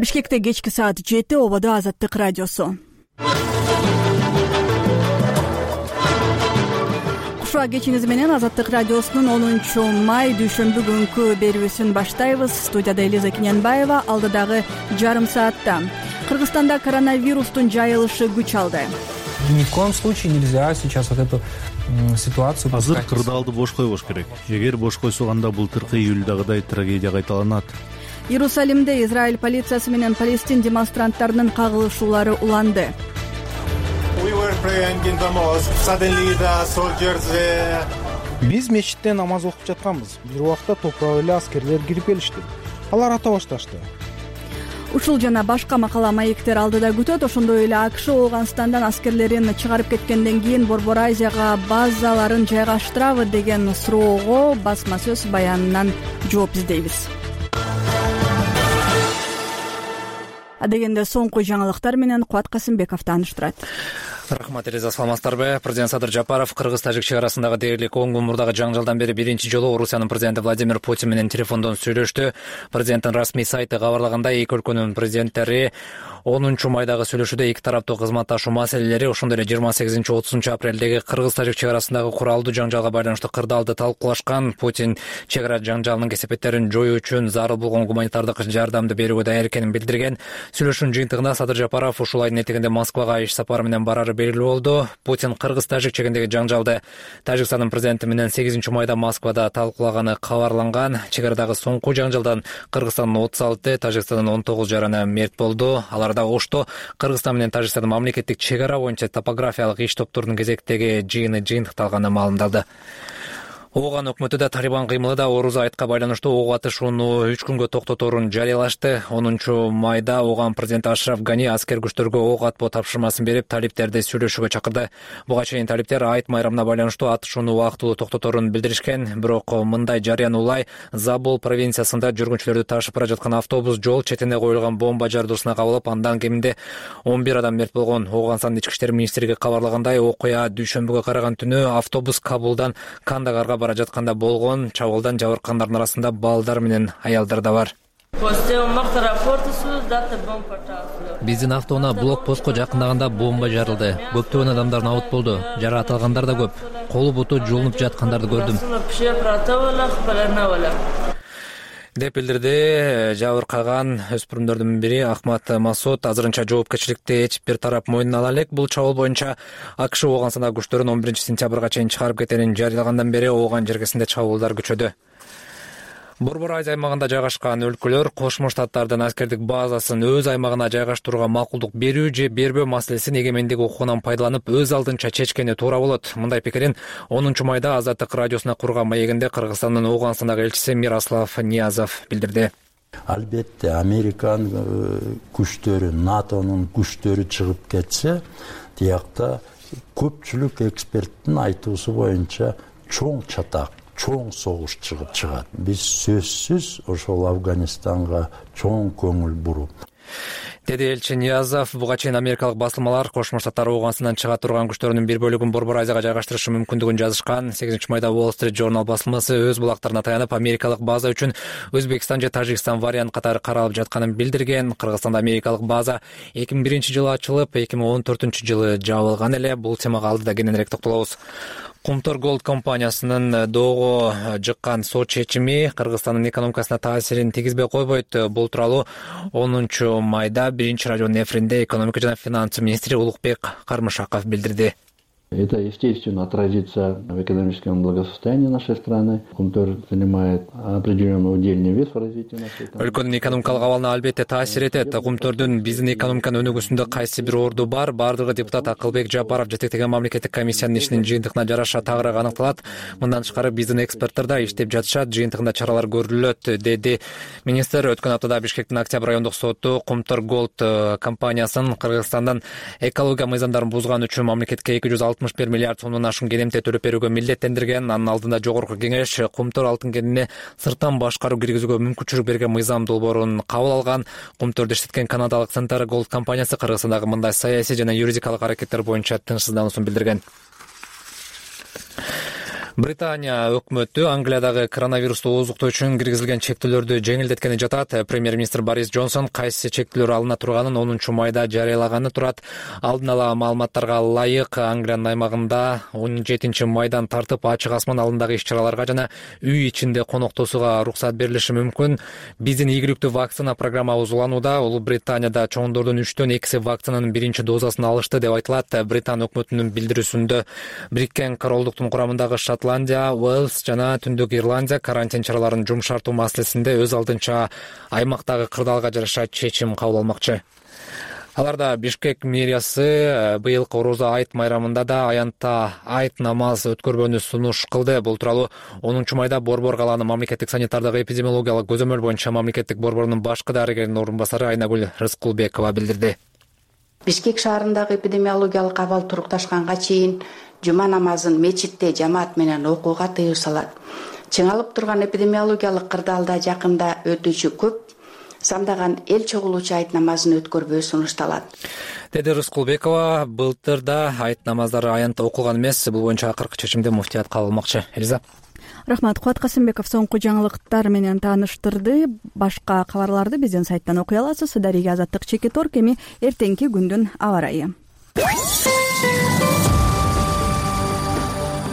Бишкекте кечки саат 7 ободо Азаттык радиосу. Кушуа кечиңиз менен Азаттык радиосунун 10-май дүйшөмбү күнкү берүүсүн баштайбыз. Студияда Элиза Киненбаева. Алдыдагы жарым саатта Кыргызстанда коронавирустун жайылышы күч алды. Ни в коем случае нельзя сейчас вот эту ситуацию. Азыр кырдаалды бош койбош керек. Эгер бош койсок, анда былтыркы июльдагыдай трагедия кайталанат. Иерусалимде Израиль полициясы менен Палестин демонстранттарынын кагылышуулары уланды. Биз мечитте намаз окуп жатканбыз. Бир убакта топурак эле аскерлер кирип келишти. Алар ата башташты. Ушул жана башка макала маектер алдыда күтөт. Ошондой эле АКШ Ооганстандан аскерлерин чыгарып кеткенден кийин Борбор Азияга базаларын жайгаштырабы деген суроого басма сөз баянынан жооп издейбиз. Адегенде соңку жаңылыктар менен Кубат Касымбеков тааныштырат. Рахмат, Элиза, саламатсыздарбы? Президент Садыр Жапаров Кыргыз-Тажик чек арасындагы дээрлик 10 күн мурдагы жаңжалдан бери биринчи жолу Орусиянын президенти Владимир Путин менен телефондон сүйлөштү. Президенттин расмий сайты кабарлагандай, эки өлкөнүн президенттери 10-майдагы сүйлөшүүдө эки тараптуу кызматташуу маселелери, ошондой эле 28-30 апрелдеги Кыргыз-Тажик чек арасындагы куралдуу жаңжалга байланыштуу кырдаалды талкуулашкан. Путин чек ара жаңжалынын кесепеттерин жоюу үчүн зарыл болгон гуманитардык жардамды берүүгө даяр экенин билдирген. Сүйлөшүүнүн жыйынтыгында Садыр Жапаров ушул айдын этегинде Москвага иш сапары менен барары белгилүү болду. Путин Кыргыз-Тажик чегиндеги жаңжалды Тажикстандын президенти менен 8-майда Москвада талкуулаганы кабарланган. Чек арадагы соңку жаңжалдан Кыргызстандын 36, Тажикстандын 19 жараны мерт болду. Аларда Ошто Кыргызстан менен Тажикстандын мамлекеттик чек ара боюнча топографиялык иш топторунун кезектеги жыйыны жыйынтыкталганы маалымдалды. Ооган өкмөтү да Талибан кыймылы да Орус айтка байланыштуу ок атышууну 3 күнгө токтоторун жарыялашты. 10-майда Ооган президенти Ашраф Гани аскер күчтөргө ок атпоо тапшырмасын берип, талиптерди сүйлөшүүгө чакырды. Буга чейин талиптер айт майрамына байланыштуу атышууну убактылуу токтоторун билдиришкен. Бирок мындай жарыянуулай Забул провинциясында жүргүнчүлөрдү ташып бара жаткан автобус жол четине коюлган бомба жардуусуна кабылып, андан кеминде 11 адам мерт болгон. Оогандын ички иштер министрлиги кабарлагандай, окуя дүйшөмбүгө караган түнү автобус Кабулдан Кандагарга бара жатканда болгон. Чабуулдан жабыркандардын арасында балдар менен аялдар да бар. Биздин автоунаа блокпостко жакындаганда бомба жарылды. Көптөгөн адамдар набыт болду. Жаратылгандар да көп. Колу буту жулунуп жаткандарды көрдүм, деп билдирди жабыркаган өспүрүмдөрдүн бири Ахмат Масуд. Азырынча жоопкерчиликти эч бир тарап мойнуна ала элек. Бул чабуул боюнча АКШ Ооганстандагы күчтөрүн 11-сентябрга чейин чыгарып кетерин жарыялагандан бери Ооган жергесинде чабуулдар күчөдү. Борбор Азия аймагында жайгашкан өлкөлөр Кошмо Штаттардын аскердик базасын өз аймагына жайгаштырууга макулдук берүү же бербөө маселесин эгемендик укугунан пайдаланып өз алдынча чечкени туура болот. Мындай пикирин 10-майда Азаттык радиосуна курган маегинде Кыргызстандын Ооганстандагы элчиси Мирослав Ниязов билдирди. Албетте Американын күчтөрү, НАТОнун күчтөрү чыгып кетсе, тиякта көпчүлүк эксперттин айтуусу боюнча чоң чатак, чоң согуш чыгат. Биз сөзсүз ошол Афганистанга чоң көңүл буруп, деди элчи Ниязов. Буга чейин америкалык басылмалар Кошмо Штаттар Ооганстандан чыга турган күчтөрүнүн бир бөлүгүн Борбор Азияга жайгаштырышы мүмкүндүгүн жазышкан. 8-майда Wall Street Journal басылмасы өз булактарына таянып, америкалык база үчүн Өзбекстан же Тажикстан вариант катары каралып жатканын билдирген. Кыргызстанда америкалык база 2001-жылы ачылып, 2014-жылы жабылган эле. Бул темага алдыда кененирээк токтолобуз. Кумтор Голд компаниясынын доого жыккан сот чечими Кыргызстандын экономикасына таасирин тийгизбей койбойт. Бул тууралуу 10-майда биринчи радионун эфиринде экономика жана финансы министри Улукбек Кармышаков билдирди. Это, естественно, отразится в экономическом благосостоянии нашей страны. Кумтор занимает определенный удельный вес в развитии нашей страны. Өлкөнүн экономикалык абалына албетте таасир этет. Кумтордун биздин экономиканын өнүгүүсүндө кайсы бир орду бар? Бардыгы депутат Акылбек Жапаров жетектеген мамлекеттик комиссиянын ишинин жыйынтыгына жараша тагыраак аныкталат. Мындан тышкары биздин эксперттер да иштеп жатышат, жыйынтыгында чаралар көрүлөт, деди министр. Өткөн аптада Бишкектин Октябрь райондук соту Кумтор Голд компаниясын Кыргызстандан экология мыйзамдарын бузган үчүн мамлекетке 261 миллиард сомдон ашкан кенемте төлөп берүүгө милдеттендирген. Анын алдында жогорку кеңеш Кумтор алтын кенине сырттан башкаруу киргизүүгө мүмкүнчүлүк берген мыйзам долбоорун кабыл алган. Кумторду иштеткен канадалык Центар Голд компаниясы Кыргызстандагы мындай саясий жана юридикалык аракеттер боюнча тынчсыздануусун билдирген. Британия өкмөтү Англиядагы коронавирусту ооздуктоо үчүн киргизилген чектөөлөрдү жеңилдеткени жатат. Премьер-министр Борис Джонсон кайсы чектөөлөр алына турганын 10 майда жарыялаганы турат. Алдын ала маалыматтарга ылайык Англиянын аймагында 17 майдан тартып ачык асман алдындагы иш-чараларга жана үй ичинде коноктошууга уруксат берилиши мүмкүн. Биздин ийгиликтүү вакцина программабыз уланууда. Улуу Британияда чоңдордун 3төн 2 вакцинанын биринчи дозасын алышты деп айтылат. Британ өкмөтүнүн билдирүүсүндө Бириккен Королдуктун курамындагы Шотландия, Уэльс жана Түндүк Ирландия карантин чараларын жумшартуу маселесинде өз алдынча аймактагы кырдаалга жараша чечим кабыл алмакчы. Аларда Бишкек мэриясы быйылкы Орозо айт майрамында да аянтта айт намаз өткөрбөнү сунуш кылды. Бул тууралуу 10 майда Борбор калаанын мамлекеттик санитардык эпидемиологиялык көзөмөл боюнча мамлекеттик борборунун башкы дарыгеринин орун басары Айнагүл Рыскулбекова билдирди. Бишкек шаарындагы эпидемиологиялык абал турукташканга чейин жума намазын мечитте жамаат менен окууга тыюу салат. Чыңалып турган эпидемиологиялык кырдаалда жакында өтүүчү көп сандаган эл чогулуучу айт намазын өткөрбөө сунушталат. Деди Рыскулбекова, былтыр да айт намаздары аянтта окулган эмес. Бул боюнча акыркы чечимди муфтият кабыл алмакчы. Элиза. Рахмат. Кубат Касымбеков соңку жаңылыктар менен тааныштырды. Башка кабарларды биздин сайттан окуй аласыз. Дарыга Азаттык Чекиторг. Эми эртеңки күндүн аба ырайы.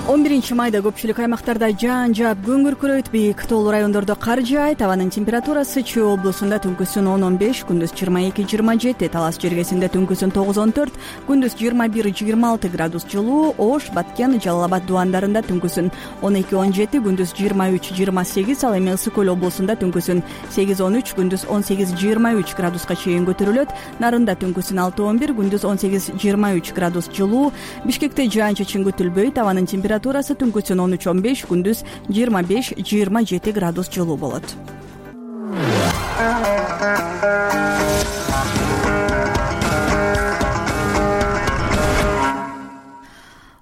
11 майда көпчүлүк аймактарда жаан жаап күн күркүрөйт, бийик тоолуу райондордо кар жаайт. Абанын температурасы Чүй облусунда түнкүсүн 10-15, күндүз 22-27, Талас жергесинде түнкүсүн 9-14, күндүз 21-26 градус жылуу. Ош, Баткен, Жалал Абад дубандарында түнкүсүн 12-17, күндүз 23-28, ал эми Ысык Көл облусунда түнкүсүн 8-13, күндүз 18-23 градуска чейин көтөрүлөт. Нарында түнкүсүн 6-11, күндүз 18-23 градус жылуу. Бишкекте жаан-чачын күтүлбөйт. Абанын температурасы түнкүсүн 13-15, күндүз 25-27 градус жылуу болот.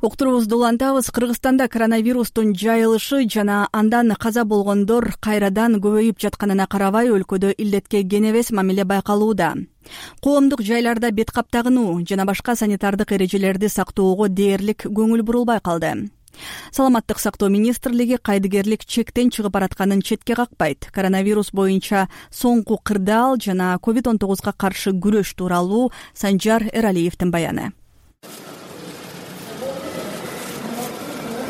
Уктуруубузду улантабыз. Кыргызстанда коронавирустун жайылышы жана андан каза болгондор кайрадан көбөйүп жатканына карабай, өлкөдө илдетке кенебес мамиле байкалууда. Коомдук жайларда бет кап тагынуу жана башка санитардык эрежелерди сактоого дээрлик көңүл бурулбай калды. Саламаттык сактоо министрлиги кайдыгерлик чектен чыгып баратканын четке какпайт. Коронавирус боюнча соңку кырдаал жана COVID-19 каршы күрөш тууралуу Санжар Эралиевдин баяны.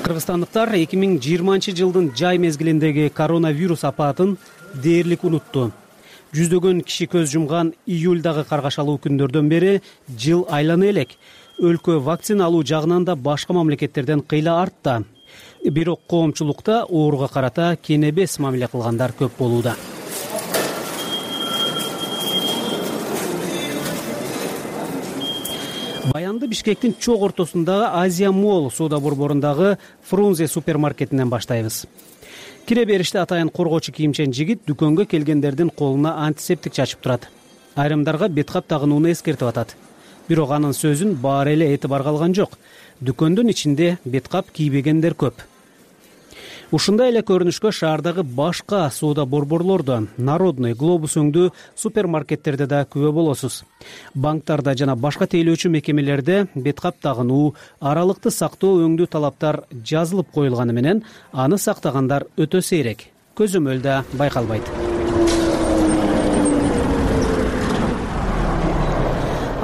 Кыргызстандыктар 2020-жылдын жай мезгилиндеги коронавирус апатын дээрлик унутту. Жүздөгөн киши көз жумган июльдагы каргашалуу күндөрдөн бери жыл айлана элек. Өлкө вакцина алуу жагынан да башка мамлекеттерден кыйла артта. Бирок коомчулукта ооруга карата кенебес мамиле кылгандар көп болууда. Баянды Бишкектин чок ортосундагы Азия Молл соода борборундагы Фрунзе супермаркетинен баштайбыз. Кире бериште атайын коргоочу кийимчен жигит дүкөнгө келгендердин колуна антисептик чачып турат. Айрымдарга бет кап тагынууну эскертип атат. Бирок анын сөзүн баары эле этибарга алган жок. Дүкөндүн ичинде бет кап кийбегендер көп. Ушундай эле көрүнүшкө шаардагы башка соода борборлордо, Народный, Глобус өңдүү супермаркеттерде да күбө болосуз. Банктарда жана башка тейлөөчү мекемелерде бет кап тагынуу, аралыкты сактоо өңдүү талаптар жазылып коюлганы менен аны сактагандар өтө сейрек. Көзөмөл да байкалбайт.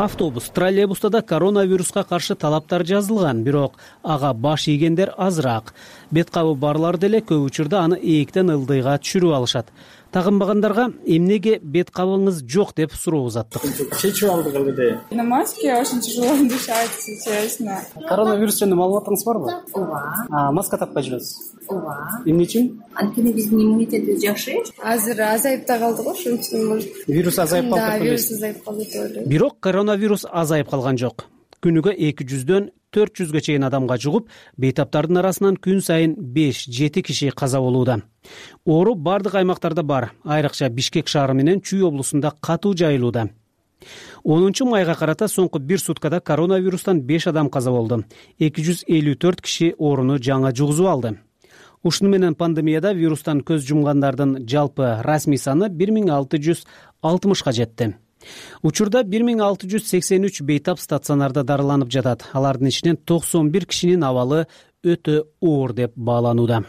Автобус, троллейбуста да коронавируска каршы талаптар жазылган, бирок ага баш ийгендер азыраак. Бет кабы барлар деле көп учурда аны ээктен ылдыйга түшүрүп алышат. Тагынбагандарга эмнеге бет кабыңыз жок деп суроо узаттык. Чечип алдык эле. На маске очень тяжело дышать, честно. Коронавирус жөнүндө маалыматыңыз барбы? Ооба. Маска такпай жүрөсүз? Ооба. Эмне үчүн? Анткени биздин иммунитетибиз жакшы. Азыр азайып да калды го, ошон үчүн. Вирус азайып калды. Да, вирус азайып калды деп ойлойм. Бирок коронавирус азайып калган жок. Күнүгө 200-дөн 400-гө чейин адамга жугуп, бейтаптардын арасынан күн сайын 5-7 киши каза болууда. Оору бардык аймактарда бар, айрыкча Бишкек шаары менен Чүй облусунда катуу жайылууда. 10 майга карата соңку 1 суткада коронавирустан 5 адам каза болду. 254 киши ооруну жаңы жугузуп алды. Ушуну менен пандемияда вирустан көз жумгандардын жалпы расмий саны 1660-ка жетти. Учурда 1683 бейтап стационарда дарыланып жатат. Алардын ичинен 91 кишинин абалы өтө оор деп бааланууда.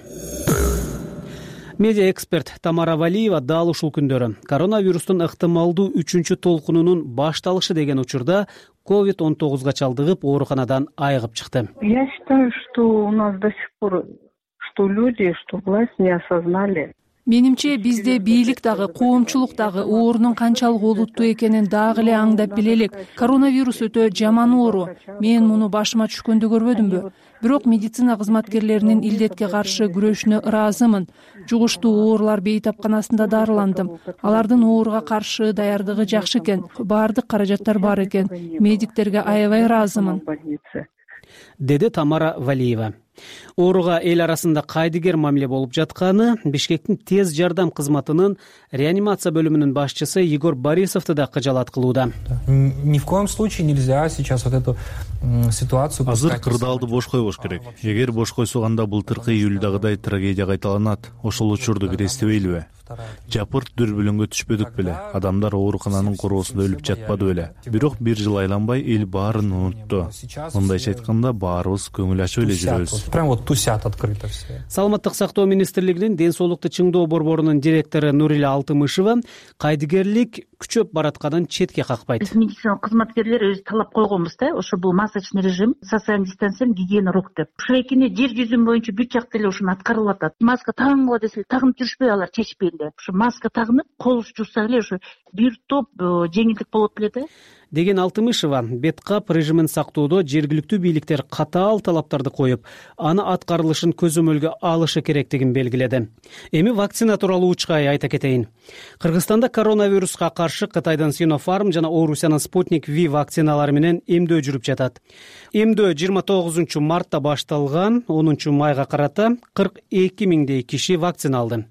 Медиа эксперт Тамара Валиева дал ушул күндөрү коронавирустун ыктымалдуу 3-чү толкунунун башталышы деген учурда COVID-19 чалдыгып ооруканадан айыгып чыкты. Я считаю, что у нас до сих пор, что люди, что власть не осознали. Менимче бизде бийлик дагы, коомчулук дагы оорунун канчалык олуттуу экенин дагы эле аңдап биле элек. Коронавирус өтө жаман оору. Мен муну башыма түшкөндө көрбөдүмбү? Бирок медицина кызматкерлеринин илдетке каршы күрөшүнө ыраазымын. Жугуштуу оорулар бейтапканасында дарыландым. Алардын ооруга каршы даярдыгы жакшы экен. Баардык каражаттар бар экен. Медиктерге аябай ыраазымын, деди Тамара Валиева. Ооруга эл арасында кайдыгер мамиле болуп жатканы Бишкектин тез жардам кызматынын реанимация бөлүмүнүн башчысы Егор Борисовду да кыжалат кылууда. Ни в коем случае нельзя сейчас вот эту ситуацию. Азыр кырдаалды бош койбош керек. Эгер бош койсок анда былтыркы июльдагыдай трагедия кайталанат. Ошол учурду кирестебейлиби? Жапырт дүрбүлөңгө түшпөдүк беле. Адамдар оорукананын короосунда өлүп жатпады беле. Бирок бир жыл айланбай эл баарын унутту. Мындайча айтканда баарыбыз көңүл ачып эле жүрөбүз. Прям вот тусят открыто все. Саламаттык сактоо министрлигинин ден соолукту чыңдоо борборунун директору Нурила Алтымышева кайдыгерлик күчөп баратканын четке какпайт. Биз медицина кызматкерлери өз талап койгонбуз да, ошо бул масочный режим, социальный дистанция, гигиена рук деп. Ушул экини жер жүзүнүн боюнча бүт жакта эле ушуну аткарылып атат. Маска тагынгыла десе тагынып жүрүшпөй алар чечпей эле. Ушу маска тагынып, кол жуусак эле ушу бир топ жеңилдик болот беле да. Деген Алтымышева беткап режимин сактоодо жергиликтүү бийликтер катаал талаптарды коюп, аны аткарылышын көзөмөлгө алышы керектигин белгиледи. Эми вакцина тууралуу учкай айта кетейин. Кыргызстанда коронавируска каршы Кытайдын Sinopharm жана Орусиянын Sputnik V вакциналары менен эмдөө жүрүп жатат. Эмдөө 29 мартта башталган, 10 майга карата 42 миңдей киши вакцина алды.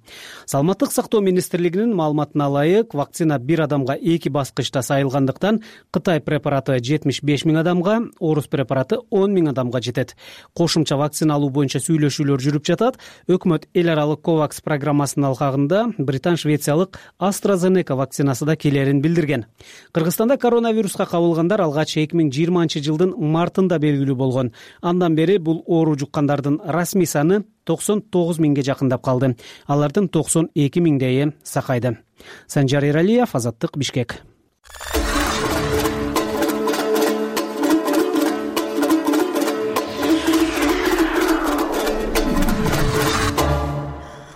Саламаттык сактоо министрлигинин маалыматына ылайык, вакцина бир адамга 2 баскычта сайылгандыктан Кытай препараты 75 миң адамга, Орус препараты 10 миң адамга жетет. Кошумча вакцина алуу боюнча сүйлөшүүлөр жүрүп жатат. Өкмөт эл аралык COVAX программасынын алкагында британ-швециялык AstraZeneca вакцинасы да келерин билдирген. Кыргызстанда коронавируска кабылгандар алгач 2020-жылдын мартында белгилүү болгон. Андан бери бул оору жуккандардын расмий саны 99 миңге жакындап калды. Алардын 92 миңдейи сакайды. Санжар Эралиев, Азаттык, Бишкек.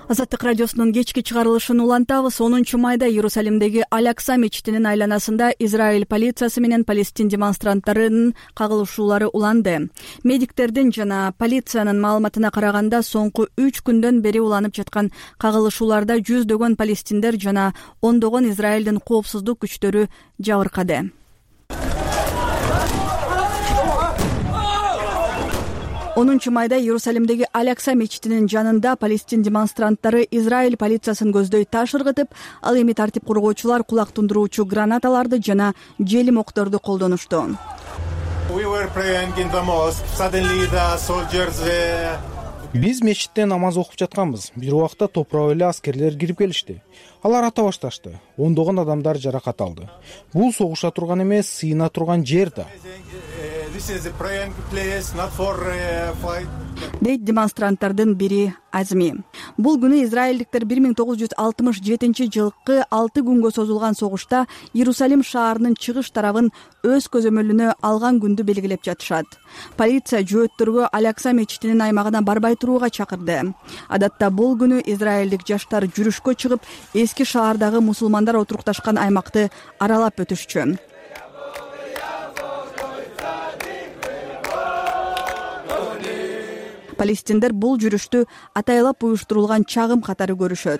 Азаттык радиосунун кечки чыгарылышын улантабыз. 10 майда Иерусалимдеги Аль-Акса мечитинин айланасында Израиль полициясы менен Палестин демонстранттарынын кагылышуулары уланды. Медиктердин жана полициянын маалыматына караганда, соңку 3 күндөн бери уланып жаткан кагылышууларда жүздөгөн палестиндер жана ондогон Израилдин коопсуздук күчтөрү жабыркады. 10 майда Иерусалимдеги Аль-Акса мечитинин жанында Палестин демонстранттары Израиль полициясын көздөй таш ыргытып, ал эми тартип коргоочулар кулак тундуруучу гранаталарды жана желим окторду колдонушту. Биз мечитте намаз окуп жатканбыз. Бир убакта топурап эле аскерлер кирип келишти. Алар ата башташты. Ондогон адамдар жаракат алды. Бул согуша турган эмес, сыйына турган жер да. Дейт демонстранттардын бири Азми. Бул күнү израилдиктер 1967 жылкы 6 күнгө созулган согушта Иерусалим шаарынын чыгыш тарабын өз көзөмөлүнө алган күндү белгилеп жатышат. Полиция жөөттөргө Аль-Акса мечитинин аймагына барбай турууга чакырды. Адатта бул күнү израилдик жаштар жүрүшкө чыгып, эски шаардагы мусулмандар отурукташкан аймакты аралап өтүшчү. Палестиндер бул жүрүштү атайлап уюштурулган чагым катары көрүшөт.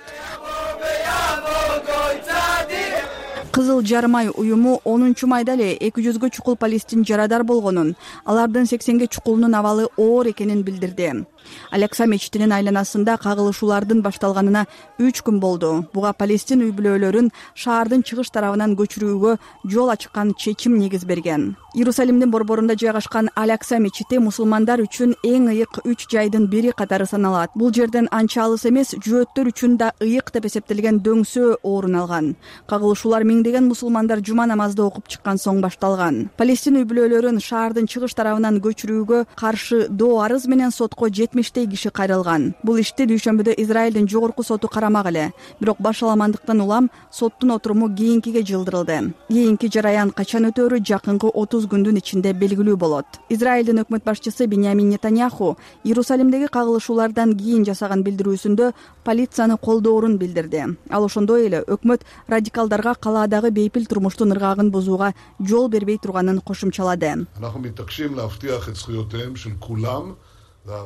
Кызыл Жармай уюму 10 майда эле 200гө чукул палестин жарадар болгонун, алардын 80ге чукулунун абалы оор экенин билдирди. Аль-Акса мечитинин айланасында кагылышуулардын башталганына 3 күн болду. Буга палестин үй бүлөлөрүн шаардын чыгыш тарабынан көчүрүүгө жол ачкан чечим негиз берген. Иерусалимдин борборунда жайгашкан Аль-Акса мечити мусулмандар үчүн эң ыйык 3 жайдын бири катары саналат. Бул жерден анча алыс эмес, жөөттөр үчүн да ыйык деп эсептелген дөңсөө орун алган. Кагылышуулар миңдеген мусулмандар жума намазды окуп чыккан соң башталган. Палестин үй бүлөлөрүн шаардын чыгыш тарабынан көчүрүүгө каршы доо арыз менен сотко 70 киши кайрылган. Бул ишти дүйшөмбүдө Израилдин жогорку соту карамак эле. Бирок башаламандыктан улам соттун отуруму кийинкиге жылдырылды. Кийинки жараян качан өтөөрү жакынкы 30 күндүн ичинде белгилүү болот. Израилдин өкмөт башчысы Биньямин Нетаньяху Иерусалимдеги кагылышуулардан кийин жасаган билдирүүсүндө полицияны колдоорун билдирди. Ал ошондой эле өкмөт радикалдарга калаадагы бейпил турмуштун ыргагын бузууга жол бербей турганын кошумчалады.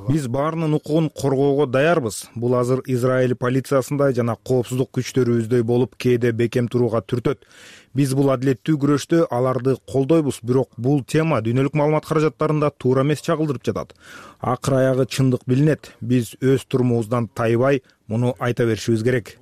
Биз баарынын укугун коргоого даярбыз. Бул азыр Израиль полициясында жана коопсуздук күчтөрүбүздөй болуп кээде бекем турууга түртөт. Биз бул адилеттүү күрөштө аларды колдойбуз, бирок бул тема дүйнөлүк маалымат каражаттарында туура эмес чагылдырып жатат. Акыр аягы чындык билинет. Биз өз турумубуздан тайбай муну айта беришибиз керек.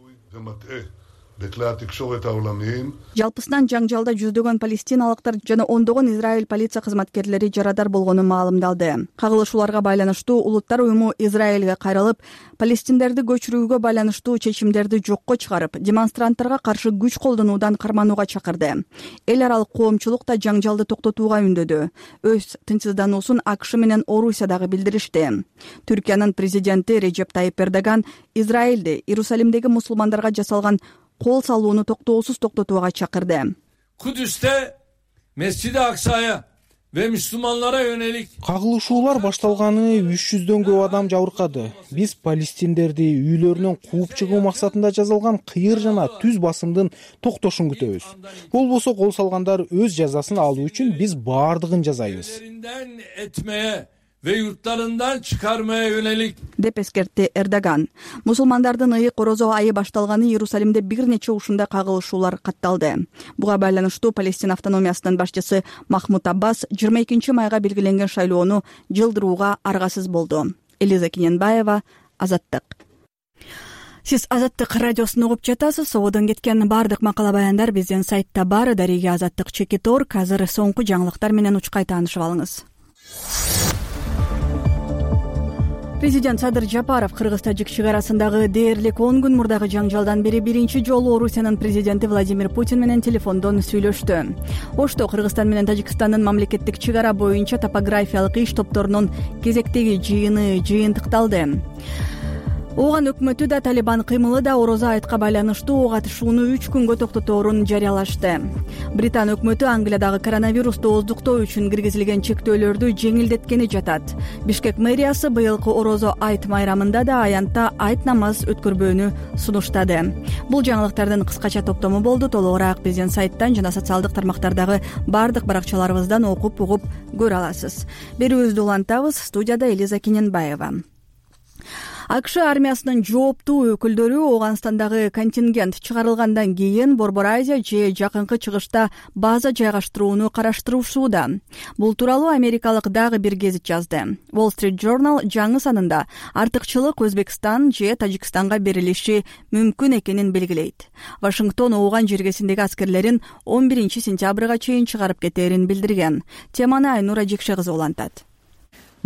Жалпысынан жаңжалда жүздөгөн палестиналыктар жана ондогон Израиль полиция кызматкерлери жарадар болгону маалымдалды. Кагылышууларга байланыштуу улуттар уюму Израилге кайрылып, палестиндерди көчүрүүгө байланыштуу чечимдерди жокко чыгарып, демонстранттарга каршы күч колдонуудан карманууга чакырды. Эл аралык коомчулук да жаңжалды токтотууга үндөдү. Өз тынчсыздануусун АКШ менен Орусия дагы билдиришти. Түркиянын президенти Режеп Тайип Эрдоган Израилди Иерусалимдеги мусулмандарга жасалган кол салууну токтоосуз токтотууга чакырды. Kudüs'te Mescid-i Aksa'ya ve Müslümanlara yönelik Кагылышуулар башталганы 300дөн көп адам жабыркады. Биз палестиндерди үйлөрүнөн кууп чыгуу максатында жасалган кыйыр жана түз басымдын токтошун күтөбүз. Болбосо кол салгандар өз жазасын алуу үчүн биз баардыгын жасайбыз. ve yurtlarından çıkarmaya yönelik деп эскертти Эрдоган. Мусулмандардын ыйык орозо айы башталганы Иерусалимде бир нече ушундай кагылышуулар катталды. Буга байланыштуу Палестин автономиясынын башчысы Махмуд Аббас 22 майга белгиленген шайлоону жылдырууга аргасыз болду. Элиза Киненбаева, Азаттык. Сиз Азаттык радиосун угуп жатасыз. Ободон кеткен бардык макала баяндар биздин сайтта бар. Дарига Азаттык.org. Азыр соңку жаңылыктар менен учкай таанышып алыңыз. Президент Садыр Жапаров Кыргыз-Тажик чек арасындагы дээрлик 10 күн мурдагы жаңжалдан бери биринчи жолу Орусиянын президенти Владимир Путин менен телефондон сүйлөштү. Ошто Кыргызстан менен Тажикстандын мамлекеттик чек ара боюнча топографиялык иш топторунун кезектеги жыйыны жыйынтыкталды. Ооган өкмөтү да Талибан кыймылы да орозо айтка байланыштуу катышууну 3 күнгө токтоторун жарыялашты. Британ өкмөтү Англиядагы коронавирусту ооздуктоо үчүн киргизилген чектөөлөрдү жеңилдеткени жатат. Бишкек мэриясы быйылкы орозо айт майрамында да аянтта айт намаз өткөрбөөнү сунуштады. Бул жаңылыктардын кыскача топтому болду. Толугураак биздин сайттан жана социалдык тармактардагы бардык баракчаларыбыздан окуп угуп көрө аласыз. Берүүбүздү улантабыз. Студияда Элиза Киненбаева. АКШ армиясынын жооптуу өкүлдөрү Ооганстандагы контингент чыгарылгандан кийин Борбор Азия же жакынкы чыгышта база жайгаштырууну караштыруусуда. Бул тууралуу америкалык дагы бир гезит жазды. Wall Street Journal жаңы санында артыкчылык Өзбекстан же Тажикстанга берилиши мүмкүн экенин белгилейт. Вашингтон Ооган жергесиндеги аскерлерин 11 сентябрга чейин чыгарып кетерин билдирген. Теманы Айнура Жекше кызы улантат.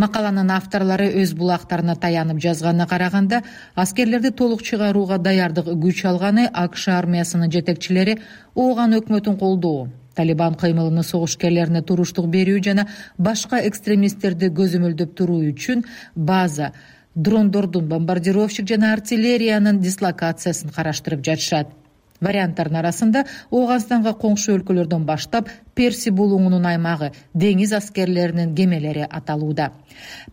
Макаланын авторлору өз булактарына таянып жазганына караганда, аскерлерди толук чыгарууга даярдык күч алганы АКШ армиясынын жетекчилери Ооган өкмөтүн колдоо, Талибан кыймылынын согушкерлерине туруштук берүү жана башка экстремисттерди көзөмөлдөп туруу үчүн база, дрондордун, бомбардировщик жана артиллериянын дислокациясын караштырып жатышат. Варианттардын арасында Ооганстанга коңшу өлкөлөрдөн баштап Перси булуңунун аймагы, деңиз аскерлеринин кемелери аталууда.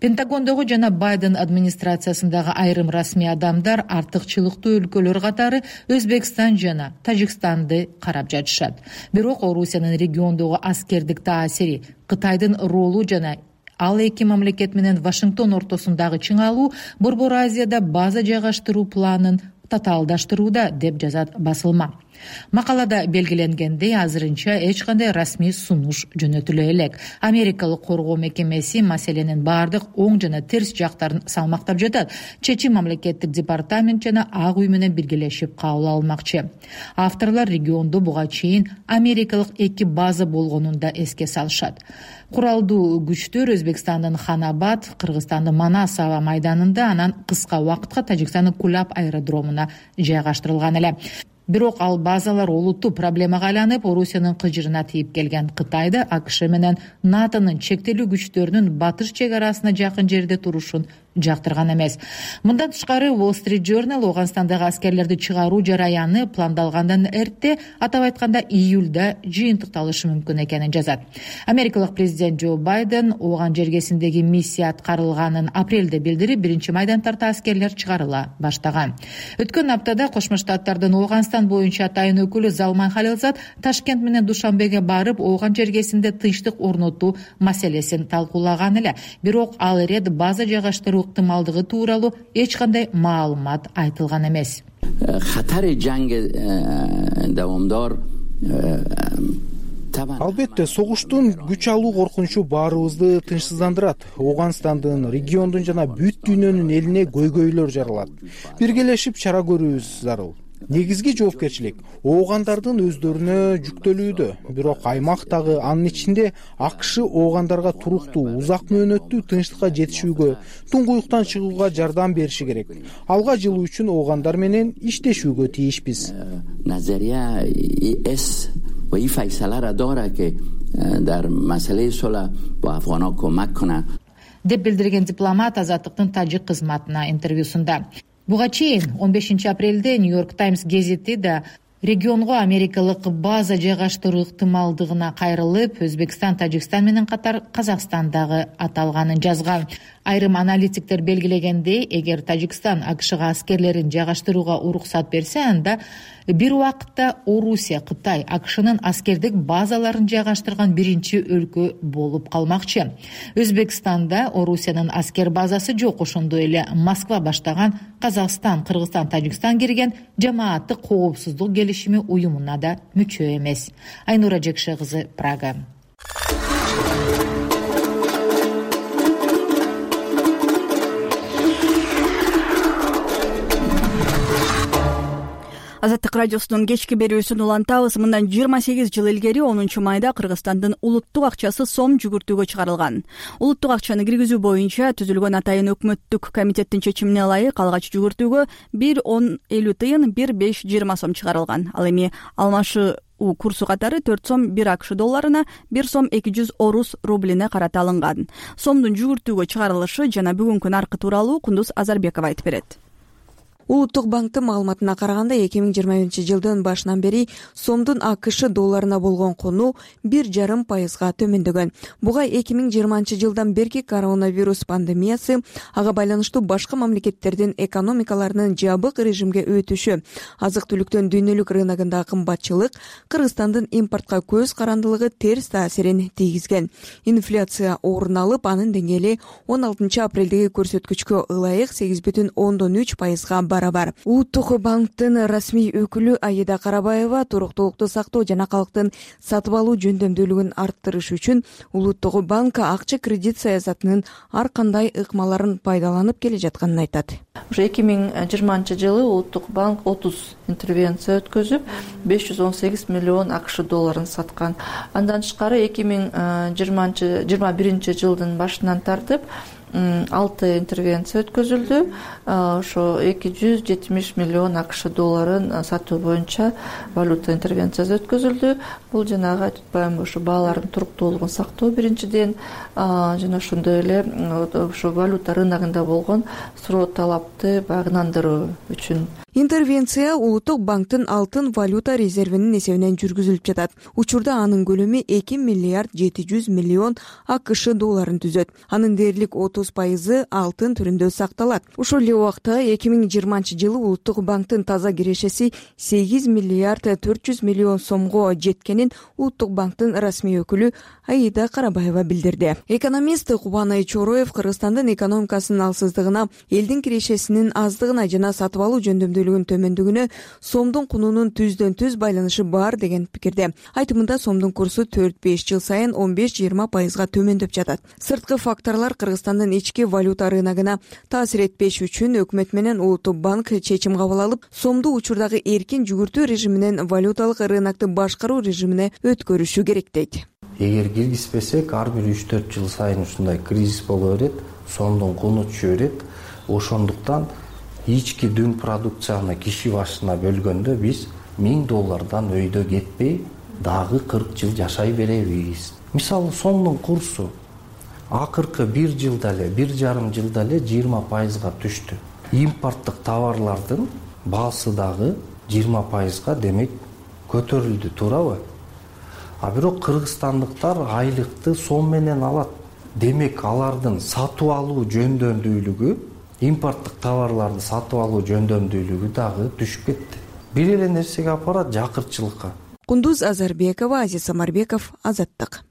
Пентагондогу жана Байден администрациясындагы айрым расмий адамдар артыкчылыктуу өлкөлөр катары Өзбекстан жана Тажикстанды карап жатышат. Бирок Орусиянын региондогу аскердик таасири, Кытайдын ролу жана ал эки мамлекет менен Вашингтон ортосундагы чыңалуу Борбор Азияда база жайгаштыруу планын татаалдаштырууда, деп жазат басылма. Макалада белгиленгендей, азырынча эч кандай расмий сунуш жөнөтүлө элек. Америкалык коргоо мекемеси маселенин бардык оң жана терс жактарын салмактап жатат. Чечим мамлекеттик департамент жана Ак үй менен биргелешип кабыл алынмакчы. Авторлор региондо буга чейин америкалык 2 база болгонун да эске салышат. Куралдуу күчтөр Өзбекстандын Ханабад, Кыргызстандын Манас аба майданында, анан кыска убакытка Тажикстандын Кулап аэродромуна жайгаштырылган эле. Бирок ал базалар олуттуу проблемага айланып, Орусиянын кыжырына тийип келген. Кытайды АКШ менен НАТОнун чектелүү күчтөрүнүн батыш чек арасына жакын жерде турушун жактырган эмес. Мындан тышкары Wall Street Journal Ооганстандагы аскерлерди чыгаруу жараяны пландалгандан эрте, атап айтканда июлда жыйынтыкталышы мүмкүн экенин жазат. Америкалык президент Джо Байден Ооган жергесиндеги миссия аткарылганын апрелде билдирип, 1-майдан тарта аскерлер чыгарыла баштаган. Өткөн аптада Кошмо Штаттардын Ооганстан боюнча атайын өкүлү Залман Халилзад Ташкент менен Душанбеге барып, Ооган жергесинде тынчтык орнотуу маселесин талкуулаган эле. Бирок ал ирет база жайгаштыруу ыктымалдыгы тууралуу эч кандай маалымат айтылган эмес. Албетте, согуштун күч алуу коркунучу баарыбызды тынчсыздандырат. Ооганстандын, региондун жана бүт дүйнөнүн элине көйгөйлөр жаралат. Биргелешип чара көрүүбүз зарыл. Негизги жоопкерчилик оогандардын өздөрүнө жүктөлүүдө. Бирок аймактагы, анын ичинде АКШ оогандарга туруктуу, узак мөөнөттүү тынчтыкка жетишүүгө, туңгуюктан чыгууга жардам бериши керек. Алга жылуу үчүн оогандар менен иштешүүгө тийишпиз. Деп билдирген дипломат Азаттыктын тажик кызматына интервьюсунда. Буга чейин 15 апрелде Нью-Йорк Таймс гезити да регионго америкалык база жайгаштыруу ыктымалдыгына кайрылып, Өзбекстан, Тажикстан менен катар Казакстандагы аталганын жазган. Айрым аналитиктер белгилегендей, эгер Тажикстан АКШга аскерлерин жайгаштырууга уруксат берсе, анда бир убакытта Орусия, Кытай АКШнын аскердик базаларын жайгаштырган биринчи өлкө болуп калмакчы. Өзбекстанда Орусиянын аскер базасы жок, ошондой эле Москва баштаган Казакстан, Кыргызстан, Тажикстан кирген жамааттык коопсуздук келишими уюмуна да мүчө эмес. Айнура Жекше кызы, Прага. Азаттык радиосунун кечки берүүсүн улантабыз. Мындан 28 жыл илгери 10 майда Кыргызстандын улуттук акчасы сом жүгүртүүгө чыгарылган. Улуттук акчаны киргизүү боюнча түзүлгөн атайын өкмөттүк комитеттин чечимине ылайык алгач жүгүртүүгө 1,1050 тыйын, 1,520 сом чыгарылган. Ал эми алмашуу курсу катары 4 сом 1 АКШ долларына, 1 сом 200 орус рублине карата алынган. Сомдун жүгүртүүгө чыгарылышы жана бүгүнкү наркы тууралуу Кундуз Азарбекова айтып берет. Улуттук банктын маалыматына караганда 2021-жылдын башынан бери сомдун АКШ долларына болгон кунуу 1,5% төмөндөгөн. Буга 2020-жылдан берки коронавирус пандемиясы, ага байланыштуу башка мамлекеттердин экономикаларынын жабык режимге өтүшү, азык-түлүктүн дүйнөлүк рыногундагы кымбатчылык, Кыргызстандын импортко көз карандылыгы терс таасирин тийгизген. Инфляция орун алып, анын деңгээли 16 апрелдеги көрсөткүчкө ылайык 8,3%га барабар. Улуттук банктын расмий өкүлү Аида Карабаева туруктуулукту сактоо жана калктын сатып алуу жөндөмдүүлүгүн арттырыш үчүн Улуттук банк акча кредит саясатынын ар кандай ыкмаларын пайдаланып келе жатканын айтат. Уже 2020-жылы Улуттук банк 30 интервенция өткөзүп, 518 миллион АКШ долларын саткан. Андан тышкары 2021-жылдын башынан тартып 6 интервенция өткөзүлдү. Ошо 270 миллион АКШ долларын сатуу боюнча валюта интервенциясы өткөзүлдү. Бул жанагы айтып атпаймынбы, ошо баалардын туруктуулугун сактоо биринчиден, жана ошондой эле ошо валюта рыногунда болгон суроо талапты багынандыруу үчүн. Интервенция Улуттук банктын алтын валюта резервинин эсебинен жүргүзүлүп жатат. Учурда анын көлөмү 2 миллиард 700 миллион АКШ долларын түзөт. Анын дээрлик 30% алтын түрүндө сакталат. Ошол эле убакта 2020-жылы Улуттук банктын таза кирешеси 8 миллиард 400 миллион сомго жеткенин Улуттук банктын расмий өкүлү Аида Карабаева билдирди. Экономист Кубанай Чороев Кыргызстандын экономикасынын алсыздыгына, элдин кирешесинин аздыгына жана сатып алуу жөндөмдүүлүгүнүн төмөндүгүнө сомдун кунунун түздөн түз байланышы бар деген пикирде. Айтымында сомдун курсу 4-5 жыл сайын 15-20%га төмөндөп жатат. Сырткы факторлор Кыргызстандын ички валюта рыногуна таасир этпеш үчүн өкмөт менен Улуттук банк чечим кабыл алып, сомду учурдагы эркин жүгүртүү режиминен валюталык рынокты башкаруу режимине өткөрүшү керек дейт. Эгер киргизбесек, ар бир 3-4 жыл сайын ушундай кризис боло берет, сомдун куну түшө берет. Ошондуктан ички дүң продукцияны киши башына бөлгөндө биз $1000 өйдө кетпей дагы 40 жыл жашай беребиз. Мисалы сомдун курсу акыркы 1 жылда эле 1,5 жылда эле 20%га түштү. Импорттук товарлардын баасы дагы 20%га демек көтөрүлдү, туурабы? А бирок кыргызстандыктар айлыкты сом менен алат. Демек алардын сатып алуу жөндөмдүүлүгү, импорттук товарларды сатып алуу жөндөмдүүлүгү дагы түшүп кетти. Бир эле нерсеге апарат, жакырчылыкка. Кундуз Азарбекова, Азиз Самарбеков, Азаттык.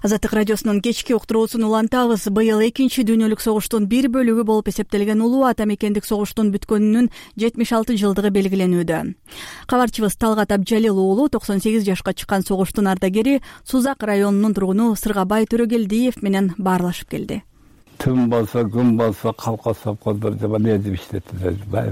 Азаттык радиосунун кечки уктуруусун улантабыз. Быйыл экинчи дүйнөлүк согуштун бир бөлүгү болуп эсептелген улуу ата мекендик согуштун бүткөнүнүн 76 жылдыгы белгиленүүдө. Кабарчыбыз Талгат Абджалил уулу 98 жашка чыккан согуштун ардагери Сузак районунун тургуну Сыргабай Төрөгелдиев менен баарлашып келди. Түн болсо, күн болсо, калка совхоздор жаман эзип иштетти. Бай.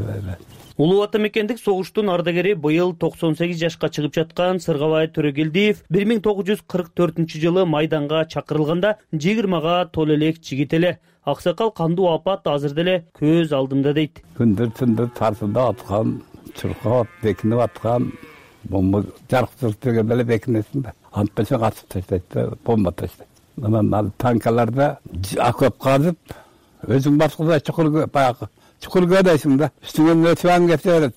Улуу ата мекендик согуштун ардагери быйыл 98 жашка чыгып жаткан Сыргабай Төрөгелдиев 1944-жылы майданга чакырылганда 20га толо элек жигит эле. Аксакал кандуу апат азыр деле көз алдымда дейт. Күндүр тарсында аткан, чуркап, бекинип аткан, бомба жарык деген эле бекинесинде. Антпесе катып таштайт, бомба таштайт. Анан танкаларда акып казып, өзүң баскыда чукур көрөсүң да. Үстүңөн өтүп кете берет.